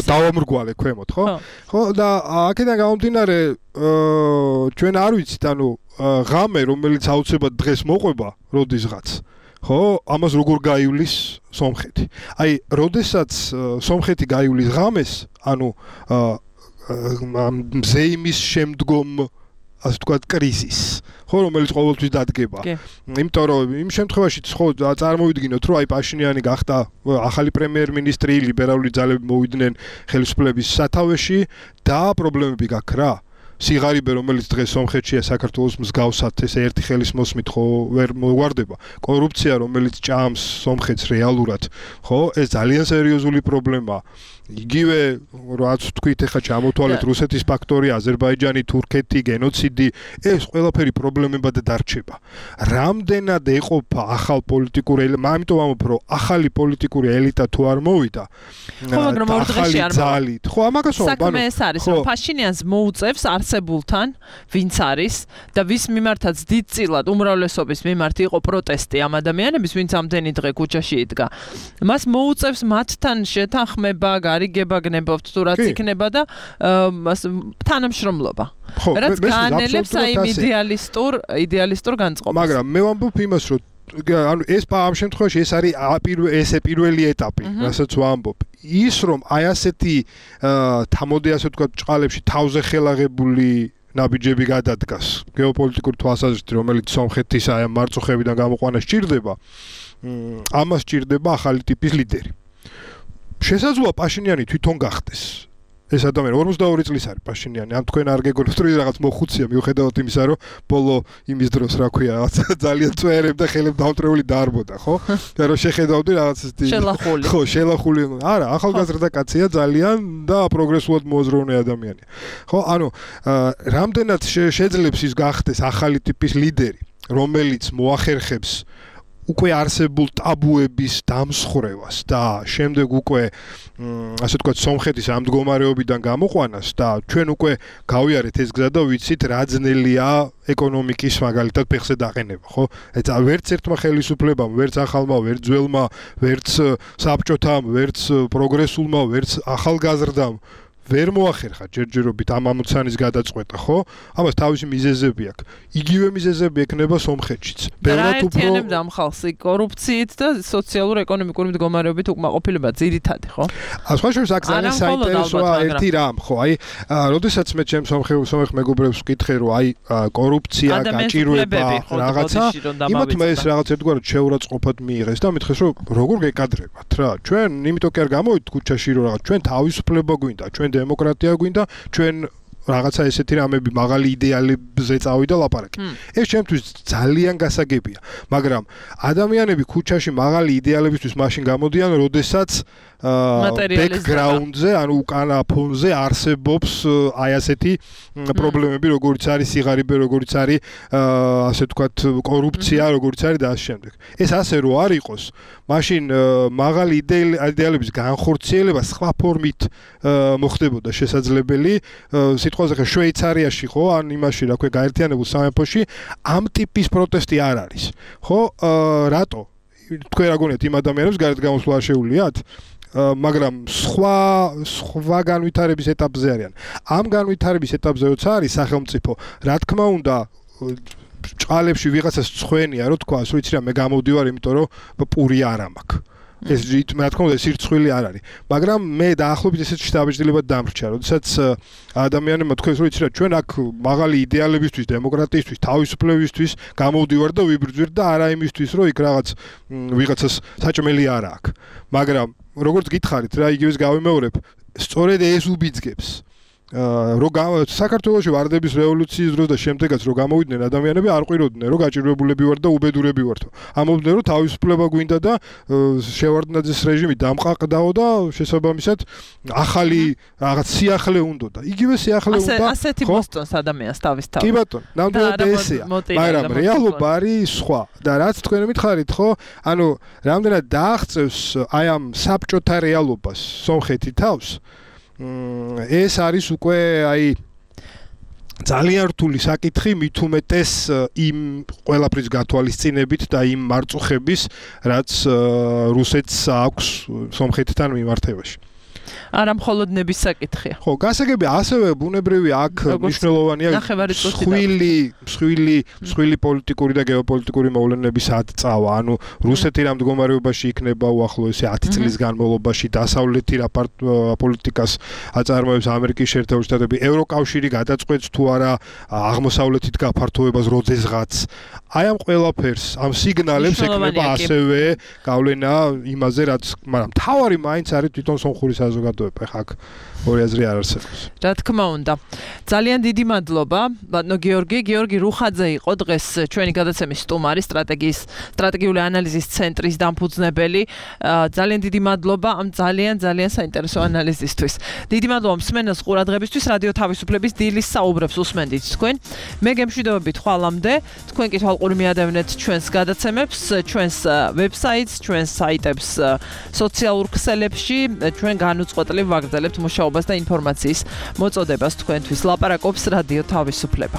დავამრგვალე ქვემოთ, ხო? ხო, და აქედან გამომდინარე ჩვენ არ ვიცით, ანუ ღამე, რომელიც აუცილებლად დღეს მოყვება, როდისღაც ხო, ამას როგორ გაივლის სომხეთი. აი, როდესაც სომხეთი გაივლის ღამეს, ანუ ზეიმის შემდგომ ასე ვთქვათ კრიზისს, ხო, რომელიც ყოველთვის დადგება. იმიტომ რომ იმ შემთხვევაში ხო წარმოვიდგინოთ, რომ აი პაშინიანი გახდა ახალი პრემიერ-მინისტრი, ლიბერალური ძალები მოვიდნენ ხელისუფლების სათავეში და პრობლემები გაქვს რა. სიღარიბე, რომელიც დღეს სომხეთშია საქართველოს მსგავსად, ესე ერთი ხელის მოსმით ხო ვერ მოგვარდება. კორუფცია, რომელიც ჭამს სომხეთს რეალურად, ხო, ეს ძალიან სერიოზული პრობლემაა. იგივე რაც თქვით, ეხლა ჩამოთვალეთ რუსეთის ფაქტორი, აზერბაიჯანი, თურქეთი, გენოციდი, ეს ყველაფერი პრობლემებად დარჩება. რამდენად ეყოფა ახალ პოლიტიკური ელიტა, ამიტომ ამბობ, რომ ახალი პოლიტიკური ელიტა თუ არ მოვიდა, ხო, მაგრამ ორ დღეში არ ძალით. ხო, ამაგას ვამბობ, საქმე ეს არის, რომ ფაშინიანს მოუწევს არსებულთან, ვინც არის და ვის მიმართაც დიდწილად უმრავლესობის მიმართ იყო პროტესტი ამ ადამიანების, ვინც ამდენი დღე ქუჩაში იდგა. მას მოუწევს მათთან შეთანხმება, გარიგება გნებობთ თუ რაც იქნება და თანამშრომლობა. რაც გაანელებს აი იდეალისტურ განწყობას. მაგრამ მე ვამბობ იმას, რომ ანუ ეს ამ შემთხვევაში ეს არის პირველი ეტაპი, რასაც ვამბობ. ის რომ აი ასეთი თამოდი ასე ვთქვათ ჭყალებში თავზე ხელაღებული ნაბიჯები გადადგას გეოპოლიტიკურ თვალსაზრისით, რომელიც სომხეთის აი ამ მარწუხებიდან გამოყვანა სჭირდება, ამას სჭირდება ახალი ტიპის ლიდერი. შესაძლოა პაშინიანი თვითონ გახდეს. ეს ადამიანი 42 წლის არის პაშინიანი. ან თქვენ არ გეგონებთ რომ რაღაც მოხუცია მიუხედავად იმისა, რომ ბოლო იმის დროს რა ქვია, რაღაც ძალიან წვერებდა ხელებ დაუტრეული დაარბოდა, ხო? და რომ შეხედავდი რაღაც შელახული. ხო, შელახული. არა, ახალგაზრდა კაცია ძალიან და პროგრესულად მოაზროვნე ადამიანია. ხო, ანუ რამდენად შეძლებს ის გახდეს ახალი ტიპის ლიდერი, რომელიც მოახერხებს უკვე არსებულ ტაბუების დამსხვრევას და შემდეგ უკვე ასე ვთქვათ სომხეთის ამ მდგომარეობიდან გამოყვანას და ჩვენ უკვე გავიარეთ ეს გზა და ვიცით რა ძნელია ეკონომიკის მაგალითად ფეხზე დაყენება, ხო? ეცა ვერც ერთმა ხელისუფლებამ, ვერც ახალმა, ვერც ძველმა, ვერც საბჭოთამ, ვერც პროგრესულმა, ვერც ახალგაზრდამ ვერ მოახერხა ჯერჯერობით ამ ამოცანის გადაწყვეტა, ხო? ამას თავისი მიზეზები აქვს. იგივე მიზეზები ექნება სომხეთშიც. ბევრად უფრო აერთიანებდა ამ ხალხს კორუფციით და სოციალურ-ეკონომიკური მდგომარეობით უკმაყოფილება ძირითადი, ხო? სხვა შორის აქ ძალიან საინტერესოა ერთი რამ, ხო? აი, როდესაც მე ჩემ სომხ მეგობრებს ვკითხე, რომ აი კორუფცია, გაჭირვება, რაღაცა, იმათ მე ეს რაღაც ერთგვარად შეურაცხყოფად მიიღეს და მითხეს, რომ როგორ გეკადრებათ რა? ჩვენ იმიტომ კი არ გამოვიდით ქუჩაში, რომ რაღაც ჩვენ თავისუფლება გვინდა, ჩვენ დემოკრატია გვინდა, ჩვენ რაღაცა ესეთი რამები მაღალი იდეალებზე წავიდა ლაპარაკი. ეს ჩემთვის ძალიან გასაგებია, მაგრამ ადამიანები ქუჩაში მაღალი იდეალებისთვის მაშინ გამოდიან, როდესაც ბექგრაუნდზე, ანუ უკანა ფონზე არსებობს აი ასეთი პრობლემები, როგორიც არის სიღარიბე, როგორიც არის ასე ვთქვათ კორუფცია, როგორიც არის და ასე შემდეგ. ეს ასე რო არ იყოს, მაშინ მაღალი იდეალების განხორციელება სხვა ფორმით მოხდებოდა შესაძლებელი. სიტყვაზე ხა შვეიცარიაში ხო, ან იმაში რა ქვია გაერთიანებულ სამეფოში ამ ტიპის პროტესტი არ არის. ხო, რატო? თქვენ რა გონიათ იმ ადამიანებს გარეთ გამოსვლა შეუძლიათ? მაგრამ სხვა განვითარების ეტაპზე არიან. ამ განვითარების ეტაპზე როცა არის სახელმწიფო, რა თქმა უნდა ჭყალებში ვიღაცას წხვენია, რო თქვა, ვიცი რა, მე გამოვდივარ, იმიტომ რომ პური არ მაქვს. ეს რა თქმა უნდა სირცხვილი არ არის, მაგრამ მე დაახლოებით ესეც შთაბეჭდილებად დამრჩა, როდესაც ადამიანებმა თქვენს, რომ იცი რა, ჩვენ აქ მაღალი იდეალებისთვის, დემოკრატიისთვის, თავისუფლებისთვის გამოვდივარ და ვიბრძვით და არა იმისთვის, რომ იქ რაღაც ვიღაცას საჭმელი არ აქვს. მაგრამ როგორც გითხარით რა, იგივეს გავიმეორებ, სწორედ ეს უბიძგებს რომ საქართველოში ვარდების რევოლუციის დროს და შემდეგაც რომ გამოვიდნენ ადამიანები არ ყვიროდნენ რომ გაჭირვებულები ვარ და უბედურები ვართ. ამობდნენ რომ თავისუფლება გვინდა და შევარდნაძის რეჟიმი დამყაყდაო და შესაბამისად ახალი რაღაც სიახლე უნდოდა. იგივე სიახლე უნდა. ასეთი მოსწონს ადამიანს თავისთავად. კი ბატონო, ნამდვილად ესეა. მაგრამ რეალობა არის სხვა. და რაც თქვენ მითხარით, ხო? ანუ რამდენად დააღწევს აი ამ საბჭოთა რეალობას სომხეთი თავს? ეს არის უკვე აი ძალიან რთული საკითხი მით უმეტეს იმ ყველაფრის გათვალისწინებით და იმ მარწუხების რაც რუსეთს აქვს სომხეთთან მიმართებაში. არა მხოლოდ ნების საკითხია. ხო, გასაგები ასევე ბუნებრივი აქ მნიშვნელოვანია მსხვილი პოლიტიკური და გეოპოლიტიკური მოვლენების აწავა. ანუ რუსეთი რა მდგომარეობაში იქნება უახლოესი 10 წლის განმავლობაში, დასავლეთი რა პოლიტიკას აწარმოებს ამერიკის შეერთებული შტატები, ევროკავშირი გადაწყვეტს თუ არა აღმოსავლეთით გაფართოებას როდესღაც. აი ამ ყველაფერს, ამ სიგნალებს ეკნება ასევე გავლენა იმაზე, რაც, მაგრამ თავარი მაინც არის თვითონ სომხური საზოგადოება. ხაკ ორი აზრი არ არსებობს. რა თქმა უნდა. ძალიან დიდი მადლობა, ბატონო გიორგი რუხაძე იყო დღეს ჩვენი გადაცემის სტუმარი, სტრატეგიული ანალიზის ცენტრის დამფუძნებელი. ძალიან დიდი მადლობა ამ ძალიან საინტერესო ანალიზისთვის. დიდი მადლობა მსმენელს ყურადღებისთვის. რადიო თავისუფლების დილის საუბრებს უსმენდით თქვენ. მე გემშვიდობებით ხვალამდე. თქვენ კი თვალყური მიადევნეთ ჩვენს გადაცემებს, ჩვენს ვებსაიტს, ჩვენს საიტებს სოციალურ ქსელებში, ჩვენ განუწყვეტლივ ვაგრძელებთ მუშაობას და ინფორმაციის მოწოდებას თქვენთვის. ლაპარაკობს რადიო თავისუფლება.